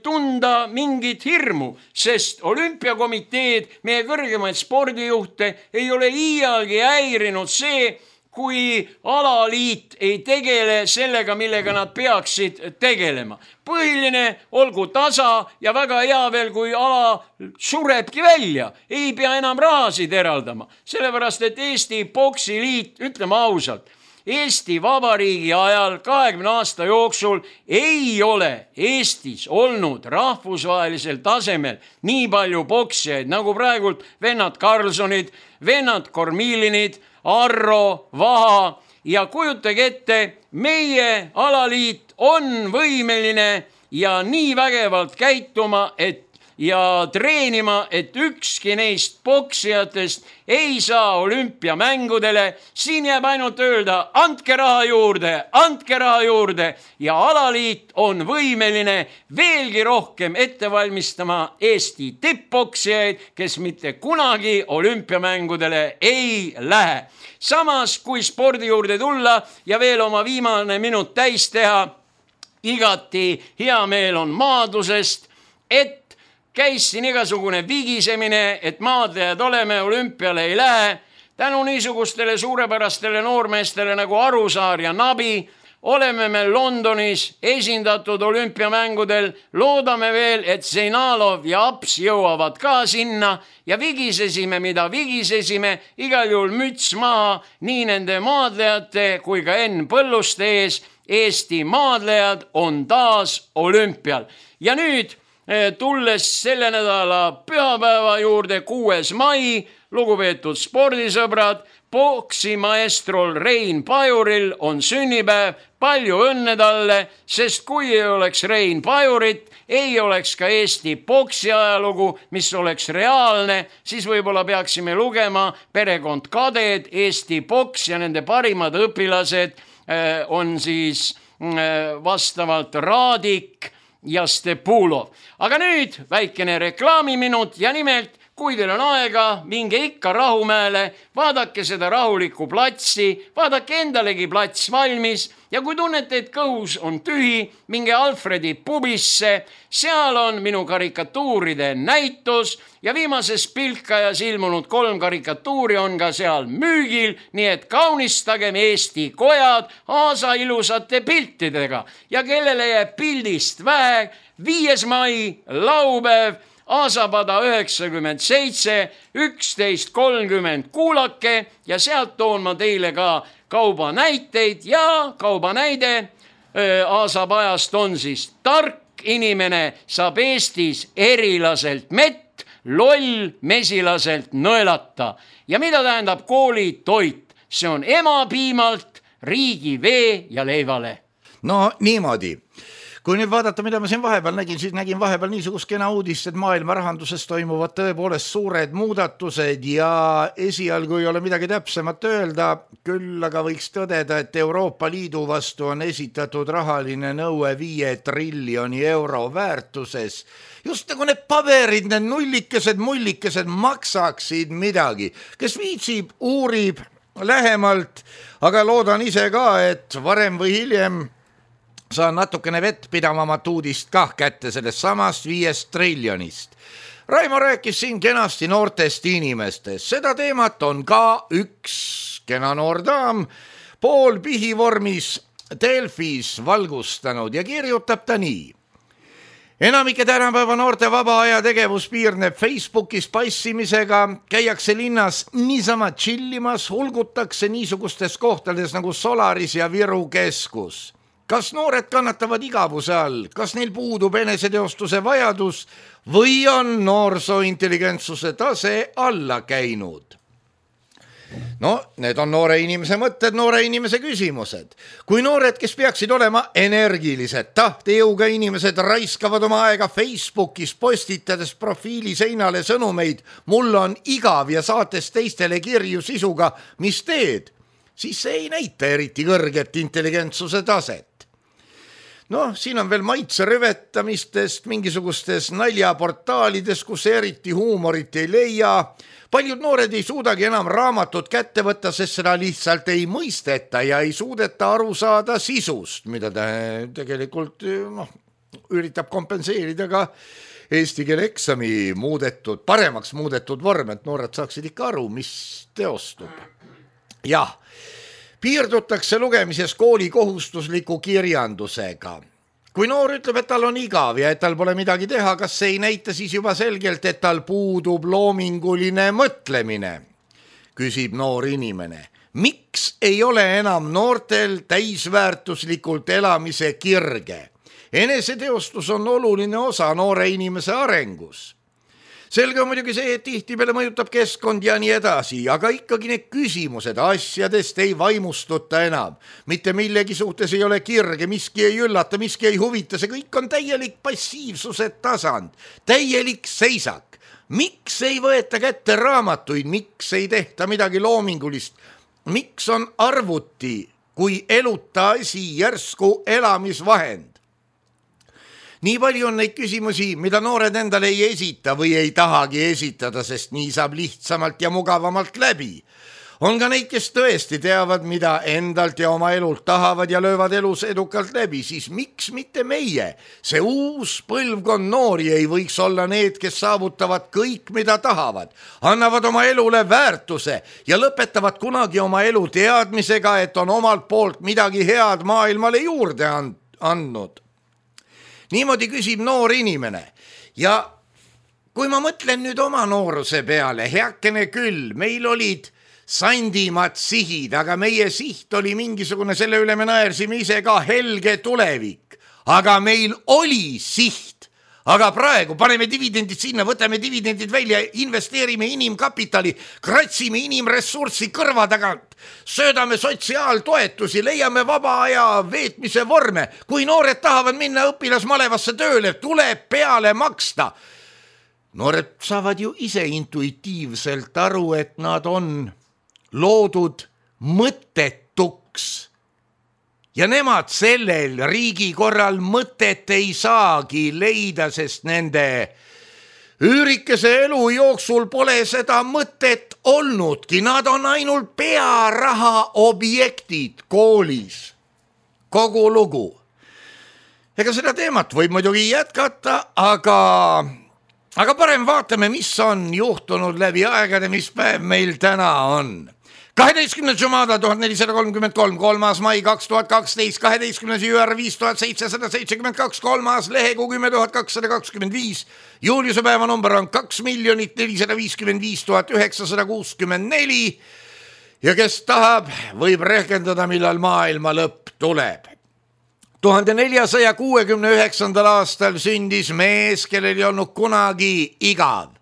tunda mingit hirmu, sest olümpiakomiteed, meie kõrgemaid spordijuhte ei ole iialgi häirinud see, kui alaliit ei tegele sellega, millega nad peaksid tegelema. Põhiline olgu tasa ja väga hea veel, kui ala surebki välja, ei pea enam rahasid eraldama. Sellepärast, et Eesti Poksiliit, ütleme ausalt, Eesti Vabariigi ajal kahekümne aasta jooksul ei ole Eestis olnud rahvusvahelisel tasemel nii palju poksijaid, nagu praegult vennad Karlsonid, vennad Kormilinid, Arro, Vaha ja kujutage ette, meie alaliit on võimeline ja nii vägevalt käituma, et ja treenima, et ükski neist poksijatest ei saa olümpiamängudele. Siin jääb ainult öelda, andke raha juurde, andke raha juurde ja alaliit on võimeline veelgi rohkem ette valmistama Eesti tipppoksijaid, kes mitte kunagi olümpiamängudele ei lähe. Samas, kui spordi juurde tulla ja veel oma viimane minut täis teha, igati hea meel on maadlusest, et käis siin igasugune vigisemine, et maadlejad oleme, olümpiale ei lähe. Tänu niisugustele suurepärastele noormeestele nagu Arusaar ja Nabi oleme me Londonis esindatud olümpiamängudel. Loodame veel, et Zeinalov ja Aps jõuavad ka sinna ja vigisesime, mida vigisesime, igal juhul müts maha nii nende maadlejate kui ka Enn Põlluste ees. Eesti maadlejad on taas olümpial. Ja nüüd tulles selle nädala pühapäeva juurde, kuues mai, lugupeetud spordisõbrad, poksimaestrol Rein Pajuril on sünnipäev, palju õnne talle, sest kui ei oleks Rein Pajurit, ei oleks ka Eesti poksi ajalugu, mis oleks reaalne, siis võib-olla peaksime lugema Perekond Kaded, Eesti poks ja nende parimad õpilased on siis vastavalt Raadik ja Stepulov. Aga nüüd väikene reklaamiminut ja nimelt, kui teil on aega, minge ikka Rahumäele, vaadake seda rahulikku platsi, vaadake endalegi plats valmis ja kui tunnete, et kõhus on tühi, minge Alfredi pubisse, seal on minu karikatuuride näitus ja viimases Pilkajas ilmunud kolm karikatuuri on ka seal müügil, nii et kaunistagem Eesti kojad aasa ilusate piltidega ja kellele jääb pildist vähe, viies mai, laupäev, Aasapada üheksakümmend seitse, üksteist kolmkümmend kuulake ja sealt toon ma teile ka kaubanäiteid ja kaubanäide Aasapajast on siis tark inimene saab Eestis erilaselt mett, loll mesilaselt nõelata. Ja mida tähendab koolitoit? See on emapiimalt, riigi vee ja leivale. No niimoodi. Kui nüüd vaadata, mida ma siin vahepeal nägin, siis nägin vahepeal niisugust kena uudist, et maailma rahanduses toimuvad tõepoolest suured muudatused ja esialgu ei ole midagi täpsemat öelda, küll aga võiks tõdeda, et Euroopa Liidu vastu on esitatud rahaline nõue viie triljoni euro väärtuses. Just nagu need paberid, need nullikesed, mullikesed maksaksid midagi. Kes viitsib, uurib lähemalt, aga loodan ise ka, et varem või hiljem saan natukene vettpidavamat uudist kah kätte sellest samast viiest triljonist. Raimo rääkis siin kenasti noortest inimestest. Seda teemat on ka üks kena noor daam pool pihivormis Delfis valgustanud ja kirjutab ta nii. Enamike tänapäeva noorte vaba aja tegevus piirneb Facebookis passimisega, käiakse linnas niisama chillimas, hulgutakse niisugustes kohtades nagu Solaris ja Viru keskus. Kas noored kannatavad igavuse all, kas neil puudub eneseteostuse vajadus või on noorsoointelligentsuse tase alla käinud? No, need on noore inimese mõtted, noore inimese küsimused. Kui noored, kes peaksid olema energilised, tahtejõuga inimesed raiskavad oma aega Facebookis postitades profiili seinale sõnumeid, mul on igav ja saates teistele kirju sisuga, mis teed, siis see ei näita eriti kõrget intelligentsuse taset. noh, siin on veel maitse rüvetamistest, mingisugustes naljaportaalides, kus eriti huumorit ei leia. Paljud noored ei suudagi enam raamatut kätte võtta, sest seda lihtsalt ei mõisteta ja ei suudeta aru saada sisust, mida ta tegelikult noh, üritab kompenseerida ka eesti keele eksami muudetud, paremaks muudetud vorm, et noored saaksid ikka aru, mis teostub. Jah, piirdutakse lugemises kooli kohustusliku kirjandusega. Kui noor ütleb, et tal on igav ja et tal pole midagi teha, kas see ei näita siis juba selgelt, et tal puudub loominguline mõtlemine? Küsib noor inimene. Miks ei ole enam noortel täisväärtuslikult elamise kirge? Eneseteostus on oluline osa noore inimese arengus. Selge on muidugi see, et tihtipeale mõjutab keskkond ja nii edasi, aga ikkagi need küsimused asjadest ei vaimustuta enam. Mitte millegi suhtes ei ole kirge, miski ei üllata, miski ei huvita, see kõik on täielik passiivsuse tasand, täielik seisak. Miks ei võeta kätte raamatuid, miks ei tehta midagi loomingulist, miks on arvuti kui eluta asi järsku elamisvahend? Nii palju on neid küsimusi, mida noored endale ei esita või ei tahagi esitada, sest nii saab lihtsamalt ja mugavamalt läbi. On ka neid, kes tõesti teavad, mida endalt ja oma elult tahavad ja löövad elus edukalt läbi, siis miks mitte meie? See uus põlvkond noori ei võiks olla need, kes saavutavad kõik, mida tahavad, annavad oma elule väärtuse ja lõpetavad kunagi oma elu teadmisega, et on omalt poolt midagi head maailmale juurde andnud. Niimoodi küsib noor inimene ja kui ma mõtlen nüüd oma nooruse peale, heakene küll, meil olid sandimad sihid, aga meie siht oli mingisugune, selle üle me naersime ise ka, helge tulevik, aga meil oli siht. Aga praegu paneme dividendid sinna, võtame dividendid välja, investeerime inimkapitali, kratsime inimressurssi kõrva tagant, söödame sotsiaaltoetusi, leiame vaba aja veetmise vorme. Kui noored tahavad minna õpilasmalevasse tööle, tuleb peale maksta. Noored saavad ju ise intuitiivselt aru, et nad on loodud mõttetuks. Ja nemad sellel riigi korral mõtet ei saagi leida, sest nende üürikese elu jooksul pole seda mõtet olnudki. Nad on ainult pearaha objektid koolis. Kogu lugu. Ega seda teemat võib muidugi jätkata, aga, aga parem vaatame, mis on juhtunud läbi aegade, mis päev meil täna on. kaheteistkümnes Jumada tuhat nelisada kolmkümmend kolm, kolmas mai kaks tuhat kaksteist, kaheteistkümnes juur viis tuhat seitsesada seitsekümmend kaks, kolmas lehekuu kümme tuhat kakssada kakskümmend viis, Juliuse päeva number on kaks miljonit nelisada viiskümmend viis tuhat üheksasada kuuskümmend neli ja kes tahab, võib rehkendada, millal maailma lõpp tuleb. tuhande neljasaja kuuekümne üheksandal aastal sündis mees, kellel ei olnud kunagi igav,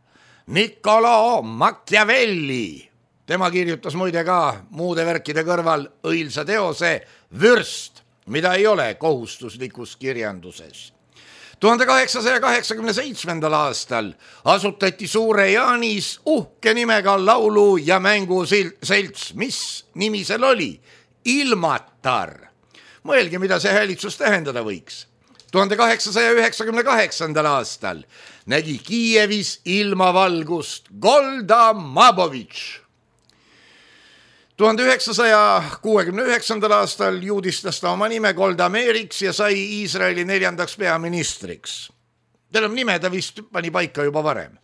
Niccolo Machiavelli. Tema kirjutas muide ka muude värkide kõrval õilsa teose Vürst, mida ei ole kohustuslikus kirjanduses. tuhande kaheksasaja kaheksakümne seitsmendal aastal asutati Suure Jaanis uhke nimega laulu- ja mänguselts. Mis nimi seal oli? Ilmatar. Mõelge, mida see häälitsus tähendada võiks. tuhande kaheksasaja üheksakümne kaheksandal aastal nägi Kiievis ilmavalgust Golda Mabovitš. tuhande üheksasaja kuuekümne üheksandal aastal juudistas ta oma nime Golda Meiriks ja sai Iisraeli neljandaks peaministriks. Teil on nime, ta vist pani paika juba varem.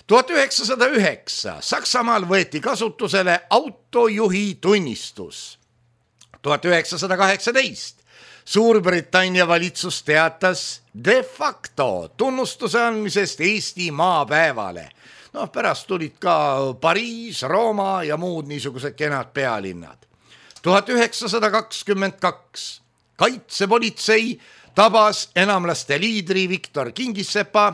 tuhat üheksasada üheksa Saksamaal võeti kasutusele autojuhi tunnistus. tuhat üheksasada kaheksateist Suurbritannia valitsus teatas de facto tunnustuse andmisest Eesti maapäevale. Noh, pärast tulid ka Pariis, Rooma ja muud niisugused kenad pealinnad. tuhat üheksasada kakskümmend kaks Kaitsepolitsei tabas enamlaste liidri Viktor Kingissepa,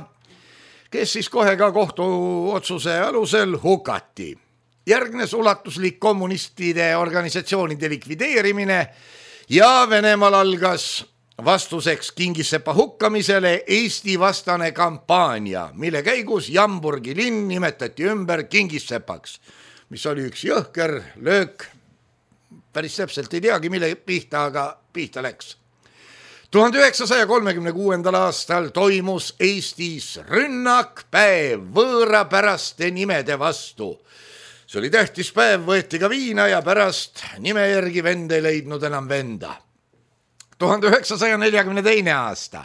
kes siis kohe ka kohtuotsuse alusel hukati. Järgnes ulatuslik kommunistide organisatsioonide likvideerimine ja Venemaal algas vastuseks Kingissepa hukkamisele Eesti vastane kampaania, mille käigus Jamburgi linn nimetati ümber Kingissepaks, mis oli üks jõhker löök. Päris täpselt ei teagi, mille pihta, aga pihta läks. tuhande üheksasaja kolmekümne kuuendal aastal toimus Eestis rünnakpäev võõrapäraste nimede vastu. See oli tähtis päev, võeti ka viina ja pärast nime järgi vend ei leidnud enam venda. tuhande üheksasaja neljakümne teine aasta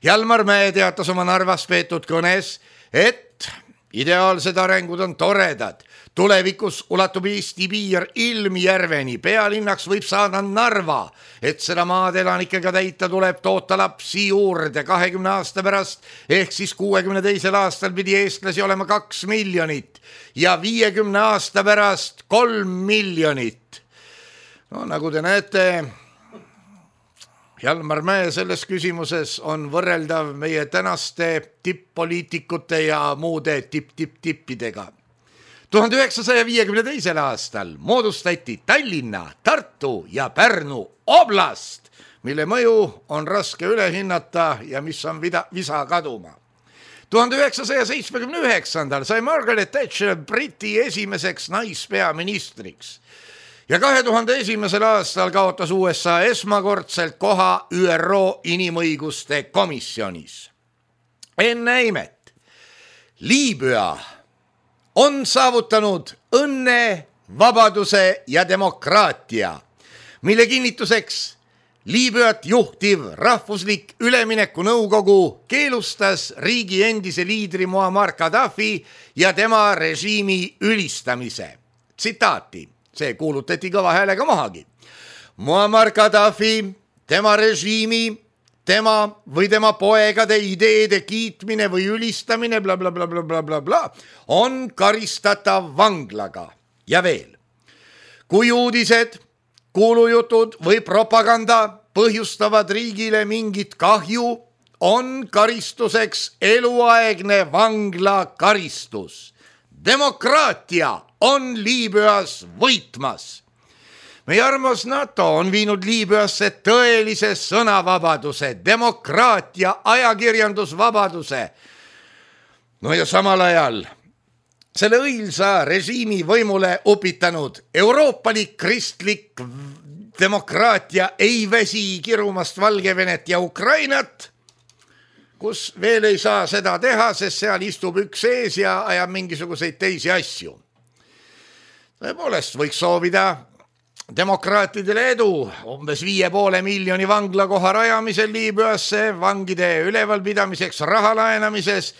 Jalmar Mäe teatas oma Narvas peetud kõnes, et ideaalsed arengud on toredad. Tulevikus ulatub Eesti piir Ilmjärveni, pealinnaks võib saada Narva, et seda maad elanikega täita tuleb toota lapsi juurde kahekümne aasta pärast, ehk siis kuuekümne teisel aastal pidi eestlasi olema kaks miljonit ja viiekümne aasta pärast kolm miljonit. No nagu te näete, Jalmar Mäe selles küsimuses on võrreldav meie tänaste tipp-poliitikute ja muude tipp-tipp-tippidega. tuhande üheksasaja viiekümne teisel aastal moodustati Tallinna, Tartu ja Pärnu oblast, mille mõju on raske üle hinnata ja mis on vida, visa kaduma. tuhande üheksasaja seitsmekümne üheksandal sai Margaret Thatcher Briti esimeseks naispeaministriks ja kahe tuhande esimesel aastal kaotas U S A esmakordselt koha Ü R O inimõiguste komisjonis. Enne imet, Liibüa on saavutanud õnne, vabaduse ja demokraatia, mille kinnituseks Liibüat juhtiv rahvuslik ülemineku nõukogu keelustas riigi endise liidri Muammar Gaddafi ja tema režiimi ülistamise. Tsitaati, see kuulutati kõva häälega mahagi. Muammar Gaddafi, tema režiimi, tema või tema poegade ideede kiitmine või ülistamine bla bla bla bla bla bla bla on karistatav vanglaga. Ja veel, kui uudised, kuulujutud või propaganda põhjustavad riigile mingit kahju, on karistuseks eluaegne vanglakaristus. Demokraatia on Liibüas võitmas. Meie armas NATO on viinud Liibüasse tõelise sõnavabaduse, demokraatia, ajakirjandusvabaduse. No ja samal ajal selle õilsa režiimi võimule upitanud euroopalik kristlik demokraatia ei väsi kirumast Valgevenet ja Ukrainat, kus veel ei saa seda teha, sest seal istub üks ees ja ajab mingisuguseid teisi asju. Tõepoolest võiks soovida demokraatidele edu umbes viie poole miljoni vanglakoha rajamisel Liibüasse, vangide ülevalpidamiseks, raha laenamises,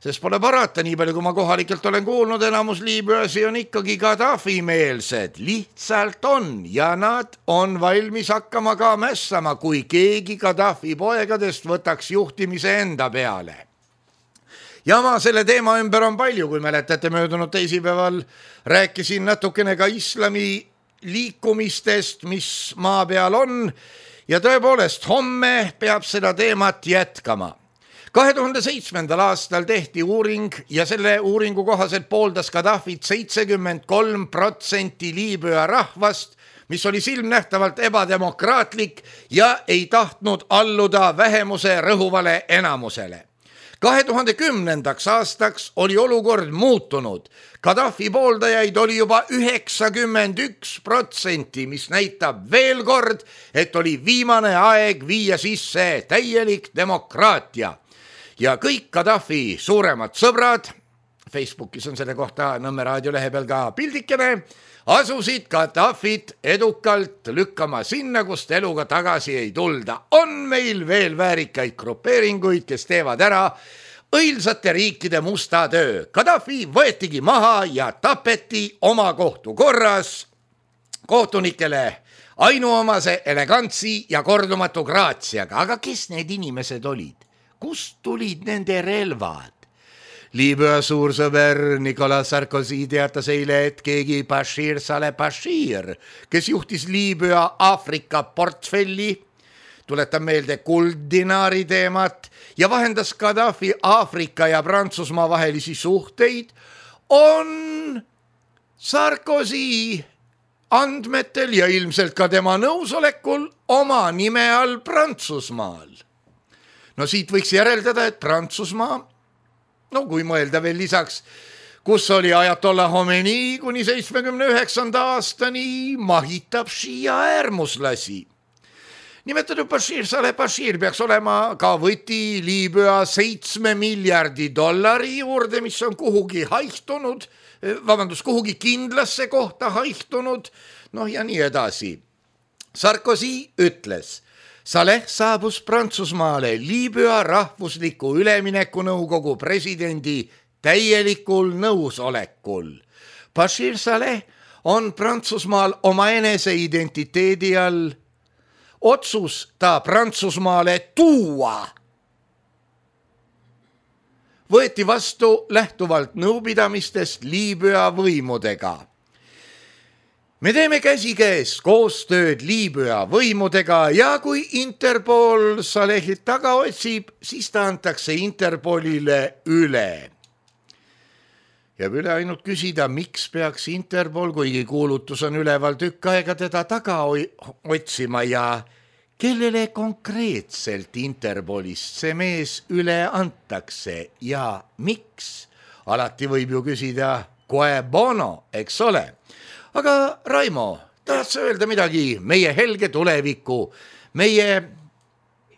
sest pole parata, nii palju kui ma kohalikelt olen kuulnud, enamus Liibüasi on ikkagi Gaddafi-meelsed, lihtsalt on ja nad on valmis hakkama ka mässama, kui keegi Gaddafi poegadest võtaks juhtimise enda peale. Jama selle teema ümber on palju, kui mäletate möödunud teisipäeval rääkisin natukene ka islami liikumistest, mis maa peal on ja tõepoolest homme peab seda teemat jätkama. kahe tuhande seitsmendal aastal tehti uuring ja selle uuringu kohaselt pooldas Gaddafit seitsekümmend kolm protsenti Liibüa rahvast, mis oli silmnähtavalt ebademokraatlik ja ei tahtnud alluda vähemuse rõhuvale enamusele. kahe tuhande kümnendaks aastaks oli olukord muutunud. Gaddafi pooldajaid oli juba üheksakümmend üks protsenti, mis näitab veel kord, et oli viimane aeg viia sisse täielik demokraatia. Ja kõik Gaddafi suuremad sõbrad, Facebookis on selle kohta Nõmme raadio lehe peal ka pildikene, asusid Gaddafit edukalt lükkama sinna, kust eluga tagasi ei tulda. On meil veel väärikaid grupeeringuid, kes teevad ära õilsate riikide musta töö. Gaddafi võetigi maha ja tapeti oma kohtu korras kohtunikele ainuomase elegantsi ja kordumatu graatsiaga. Aga kes need inimesed olid? Kust tulid nende relvad? Liibüa suursõber Nicolas Sarkozy teatas eile, et keegi Bashir Saleh Bashir, kes juhtis Liibüa Aafrika portfelli, tuletan meelde kulddinaari teemat ja vahendas Gaddafi Aafrika ja Prantsusmaa vahelisi suhteid, on Sarkozy andmetel ja ilmselt ka tema nõusolekul oma nime all Prantsusmaal. No siit võiks järeldada, et Prantsusmaa, no kui mõelda veel lisaks, kus oli Ajatollah Khomeini kuni seitsmekümne üheksanda aastani, mahitab šiia äärmuslasi. nimetatud Bashir Saleh Bashir peaks olema ka võti Liibüa seitsme miljardi dollari juurde, mis on kuhugi haihtunud, vabandust, kuhugi kindlasse kohta haihtunud, noh ja nii edasi. Sarkozy ütles, Saleh saabus Prantsusmaale Liibüa rahvusliku ülemineku nõukogu presidendi täielikul nõusolekul. Bashir Saleh on Prantsusmaal oma enese identiteedi all. Otsus ta Prantsusmaale tuua võeti vastu lähtuvalt nõupidamistest Liibüa võimudega. Me teeme käsikäes koostööd Liibüa võimudega ja kui Interpol Salehit taga otsib, siis ta antakse Interpolile üle. Jääb üle ainult küsida, miks peaks Interpol, kuigi kuulutus on üleval tükk aega teda taga otsima ja kellele konkreetselt Interpolist see mees üle antakse ja miks? Alati võib ju küsida quae bono, eks ole. Aga Raimo, tahad sa öelda midagi meie helge tuleviku, meie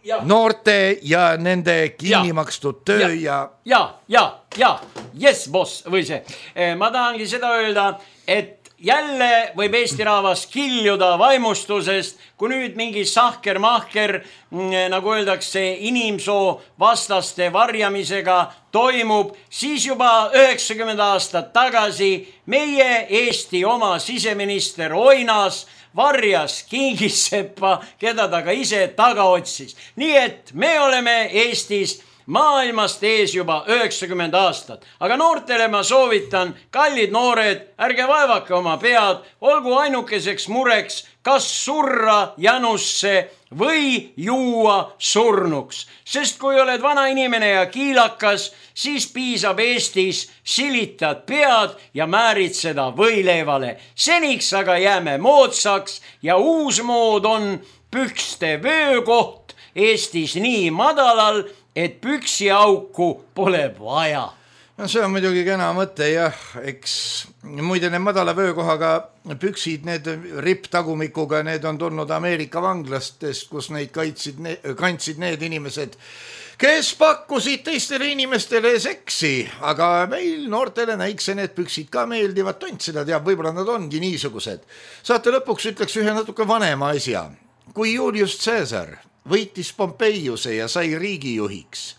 ja. noorte ja nende kinnimakstud töö ja... Ja, ja, ja, yes, boss, või see. Ma tahangi seda öelda, et jälle võib Eesti rahvas kiljuda vaimustusest, kui nüüd mingi sahker-mahker, nagu öeldakse, inimsoo vastaste varjamisega toimub, siis juba üheksakümmend aastat tagasi meie Eesti oma siseminister Oinas varjas Kingissepa, keda ta ka ise taga otsis. Nii et me oleme Eestis maailmast ees juba üheksakümmend aastat. Aga noortele ma soovitan, kallid noored, ärge vaevake oma pead, olgu ainukeseks mureks, kas surra janusse või juua surnuks. Sest kui oled vana inimene ja kiilakas, siis piisab Eestis silitad pead ja määrid seda võileivale. Seniks aga jääme moodsaks ja uus mood on pükste vöökoht Eestis nii madalal, et püksi auku pole vaja. No see on muidugi kena mõte, jah, eks muide need madala vöökohaga püksid, need ripptagumikuga, need on tulnud Ameerika vanglastest, kus neid kaitsid, kandsid need inimesed, kes pakkusid teistele inimestele seksi, aga meil noortele näikse need püksid ka meeldivad, tont seda teab, võib-olla nad ongi niisugused. Saate lõpuks ütleks ühe natuke vanema asja. Kui Julius Caesar võitis Pompeiuse ja sai riigijuhiks,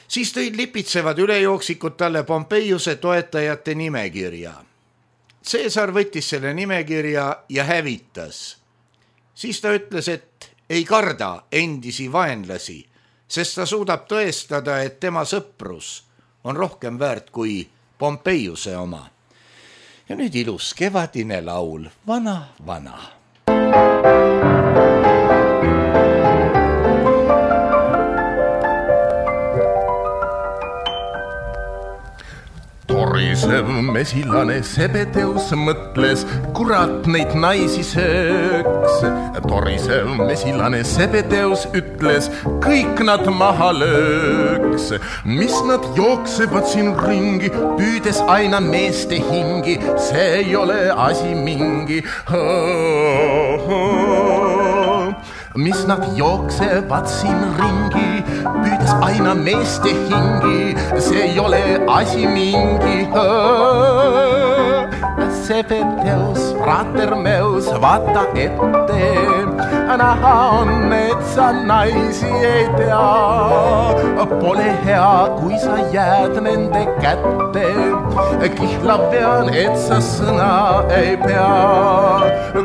siis tõid lipitsevad ülejooksikud talle Pompeiuse toetajate nimekirja. Caesar võttis selle nimekirja ja hävitas. Siis ta ütles, et ei karda endisi vaenlasi, sest ta suudab tõestada, et tema sõprus on rohkem väärt kui Pompeiuse oma. Ja nüüd ilus kevadine laul, vana, vana. Torisev mesilane Sebedeus mõtles, kurat neid naisi sööks. Torisev mesilane Sebedeus ütles, kõik nad maha lööks. Mis nad jooksevad siin ringi, püüdes aina meeste hingi, see ei ole asi mingi. Mis nad jooksevad siin ringi, püüdes aina meeste hingi, see ei ole asi mingi. Sebedeus, Ratermeus, vaata ette, näha on, et sa naisi ei tea. Pole hea, kui sa jääd nende kätte, kihla pean, et sa sõna ei pea.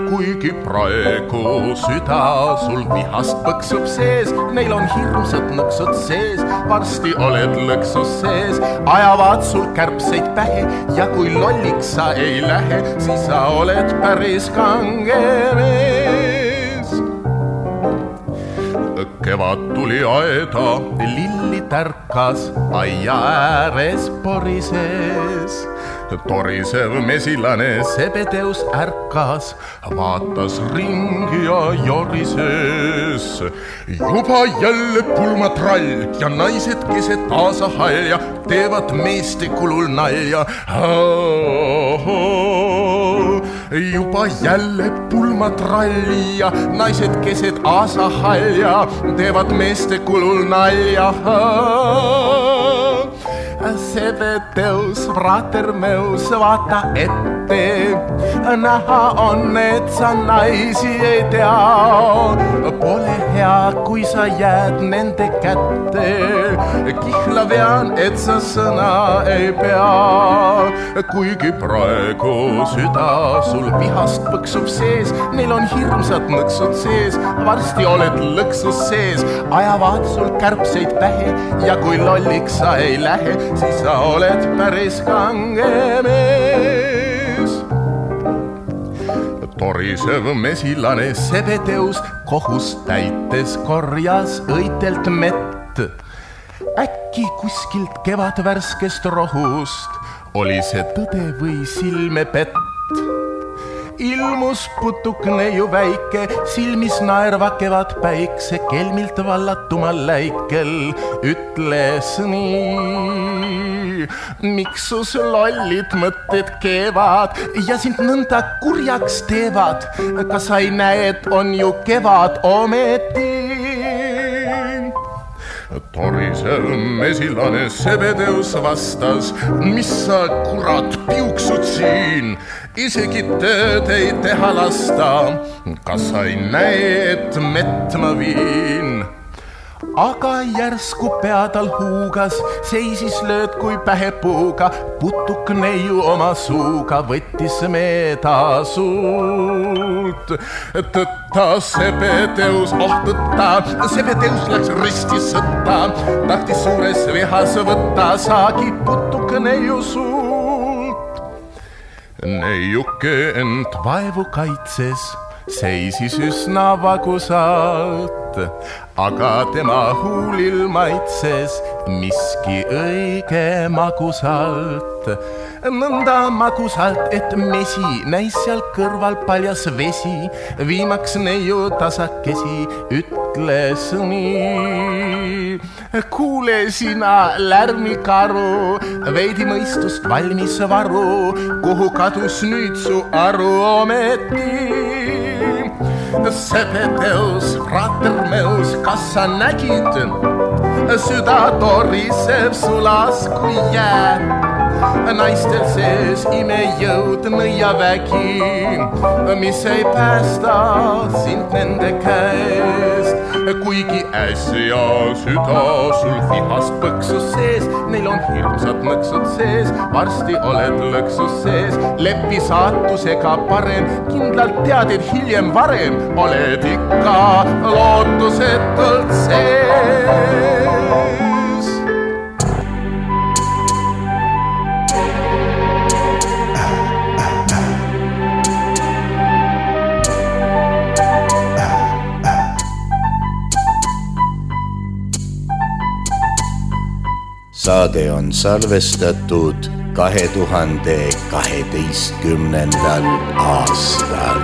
Kuigi praegu süda sul vihast põksub sees, neil on hirmsad nõksud sees, varsti oled lõksus sees, ajavad sul kärbseid pähe ja kui lolliks sa ei lähe, siis sa oled päris kange mees. Kevad tuli aeda, lilli tärkas, aia ääres porises. Torisev mesilane Sebedeus ärkas, vaatas ringi ja jorises. Juba jälle pulmatrall ja naised keset taasa halja teevad meeste kulul nalja. juba jälle pulmatralli ja naised keset aasahalja teevad meeste kulul nalja. Sebedeus, frater meus, vaata ette, näha on, et sa naisi ei tea. Pole hea, kui sa jääd nende kätte, kihla vean, et sa sõna ei pea. Kuigi praegu süda sul vihast põksub sees, neil on hirmsad nõksud sees, varsti oled lõksus sees, ajavad sul kärbseid pähe ja kui lolliks sa ei lähe, siis sa oled päris kange mees. Torisev mesilane Sebedeus kohus täites korjas õitelt mett. Äkki kuskilt kevad värskest rohust oli see tõde või silmepett. Ilmus putuk neiu väike, silmis naerva kevad päikse, kelmilt vallatumal läikel ütles nii. Miks sus lollid mõtted keevad ja sind nõnda kurjaks teevad? Kas sa ei näe, et on ju kevad ometi? Torisev mesilane Sebedeus vastas, mis sa kurat piuksud siin? Isegi tööd ei teha lasta, kas sa ei näe, et mett ma viin? Aga järsku pea tal huugas, seisis lööd kui pähepuuga, putuk neiu oma suuga võttis meeda suult. Tõtta Sebedeus, oh tõtta, Sebedeus läks risti sõtta, tahtis suures vihas võtta saagi putuk neiu suult. Neiuke end vaevu kaitses, seisis üsna vagusalt, aga tema huulil maitses miski õige magusalt. Nõnda magusalt, et mesi näis seal kõrval paljas vesi, viimaks neiu tasakesi ütles nii. Kuule sina lärmikaru, veidi mõistust valmis varu, kuhu kadus nüüd su aru ometi? Sebedeus, frater meus, kas sa nägid? Süda toriseb sulas kui jää. Naistel sees imejõud nõiavägi, mis ei päästa sind nende käest. Kuigi äsja süda sul vihast põksus sees, neil on hirmsad nõksud sees, varsti oled lõksus sees. Lepi saatusega parem, kindlalt tead, et hiljem varem oled ikka lootusetult sees. Saade on salvestatud kahe tuhande kaheteistkümnendal aastal.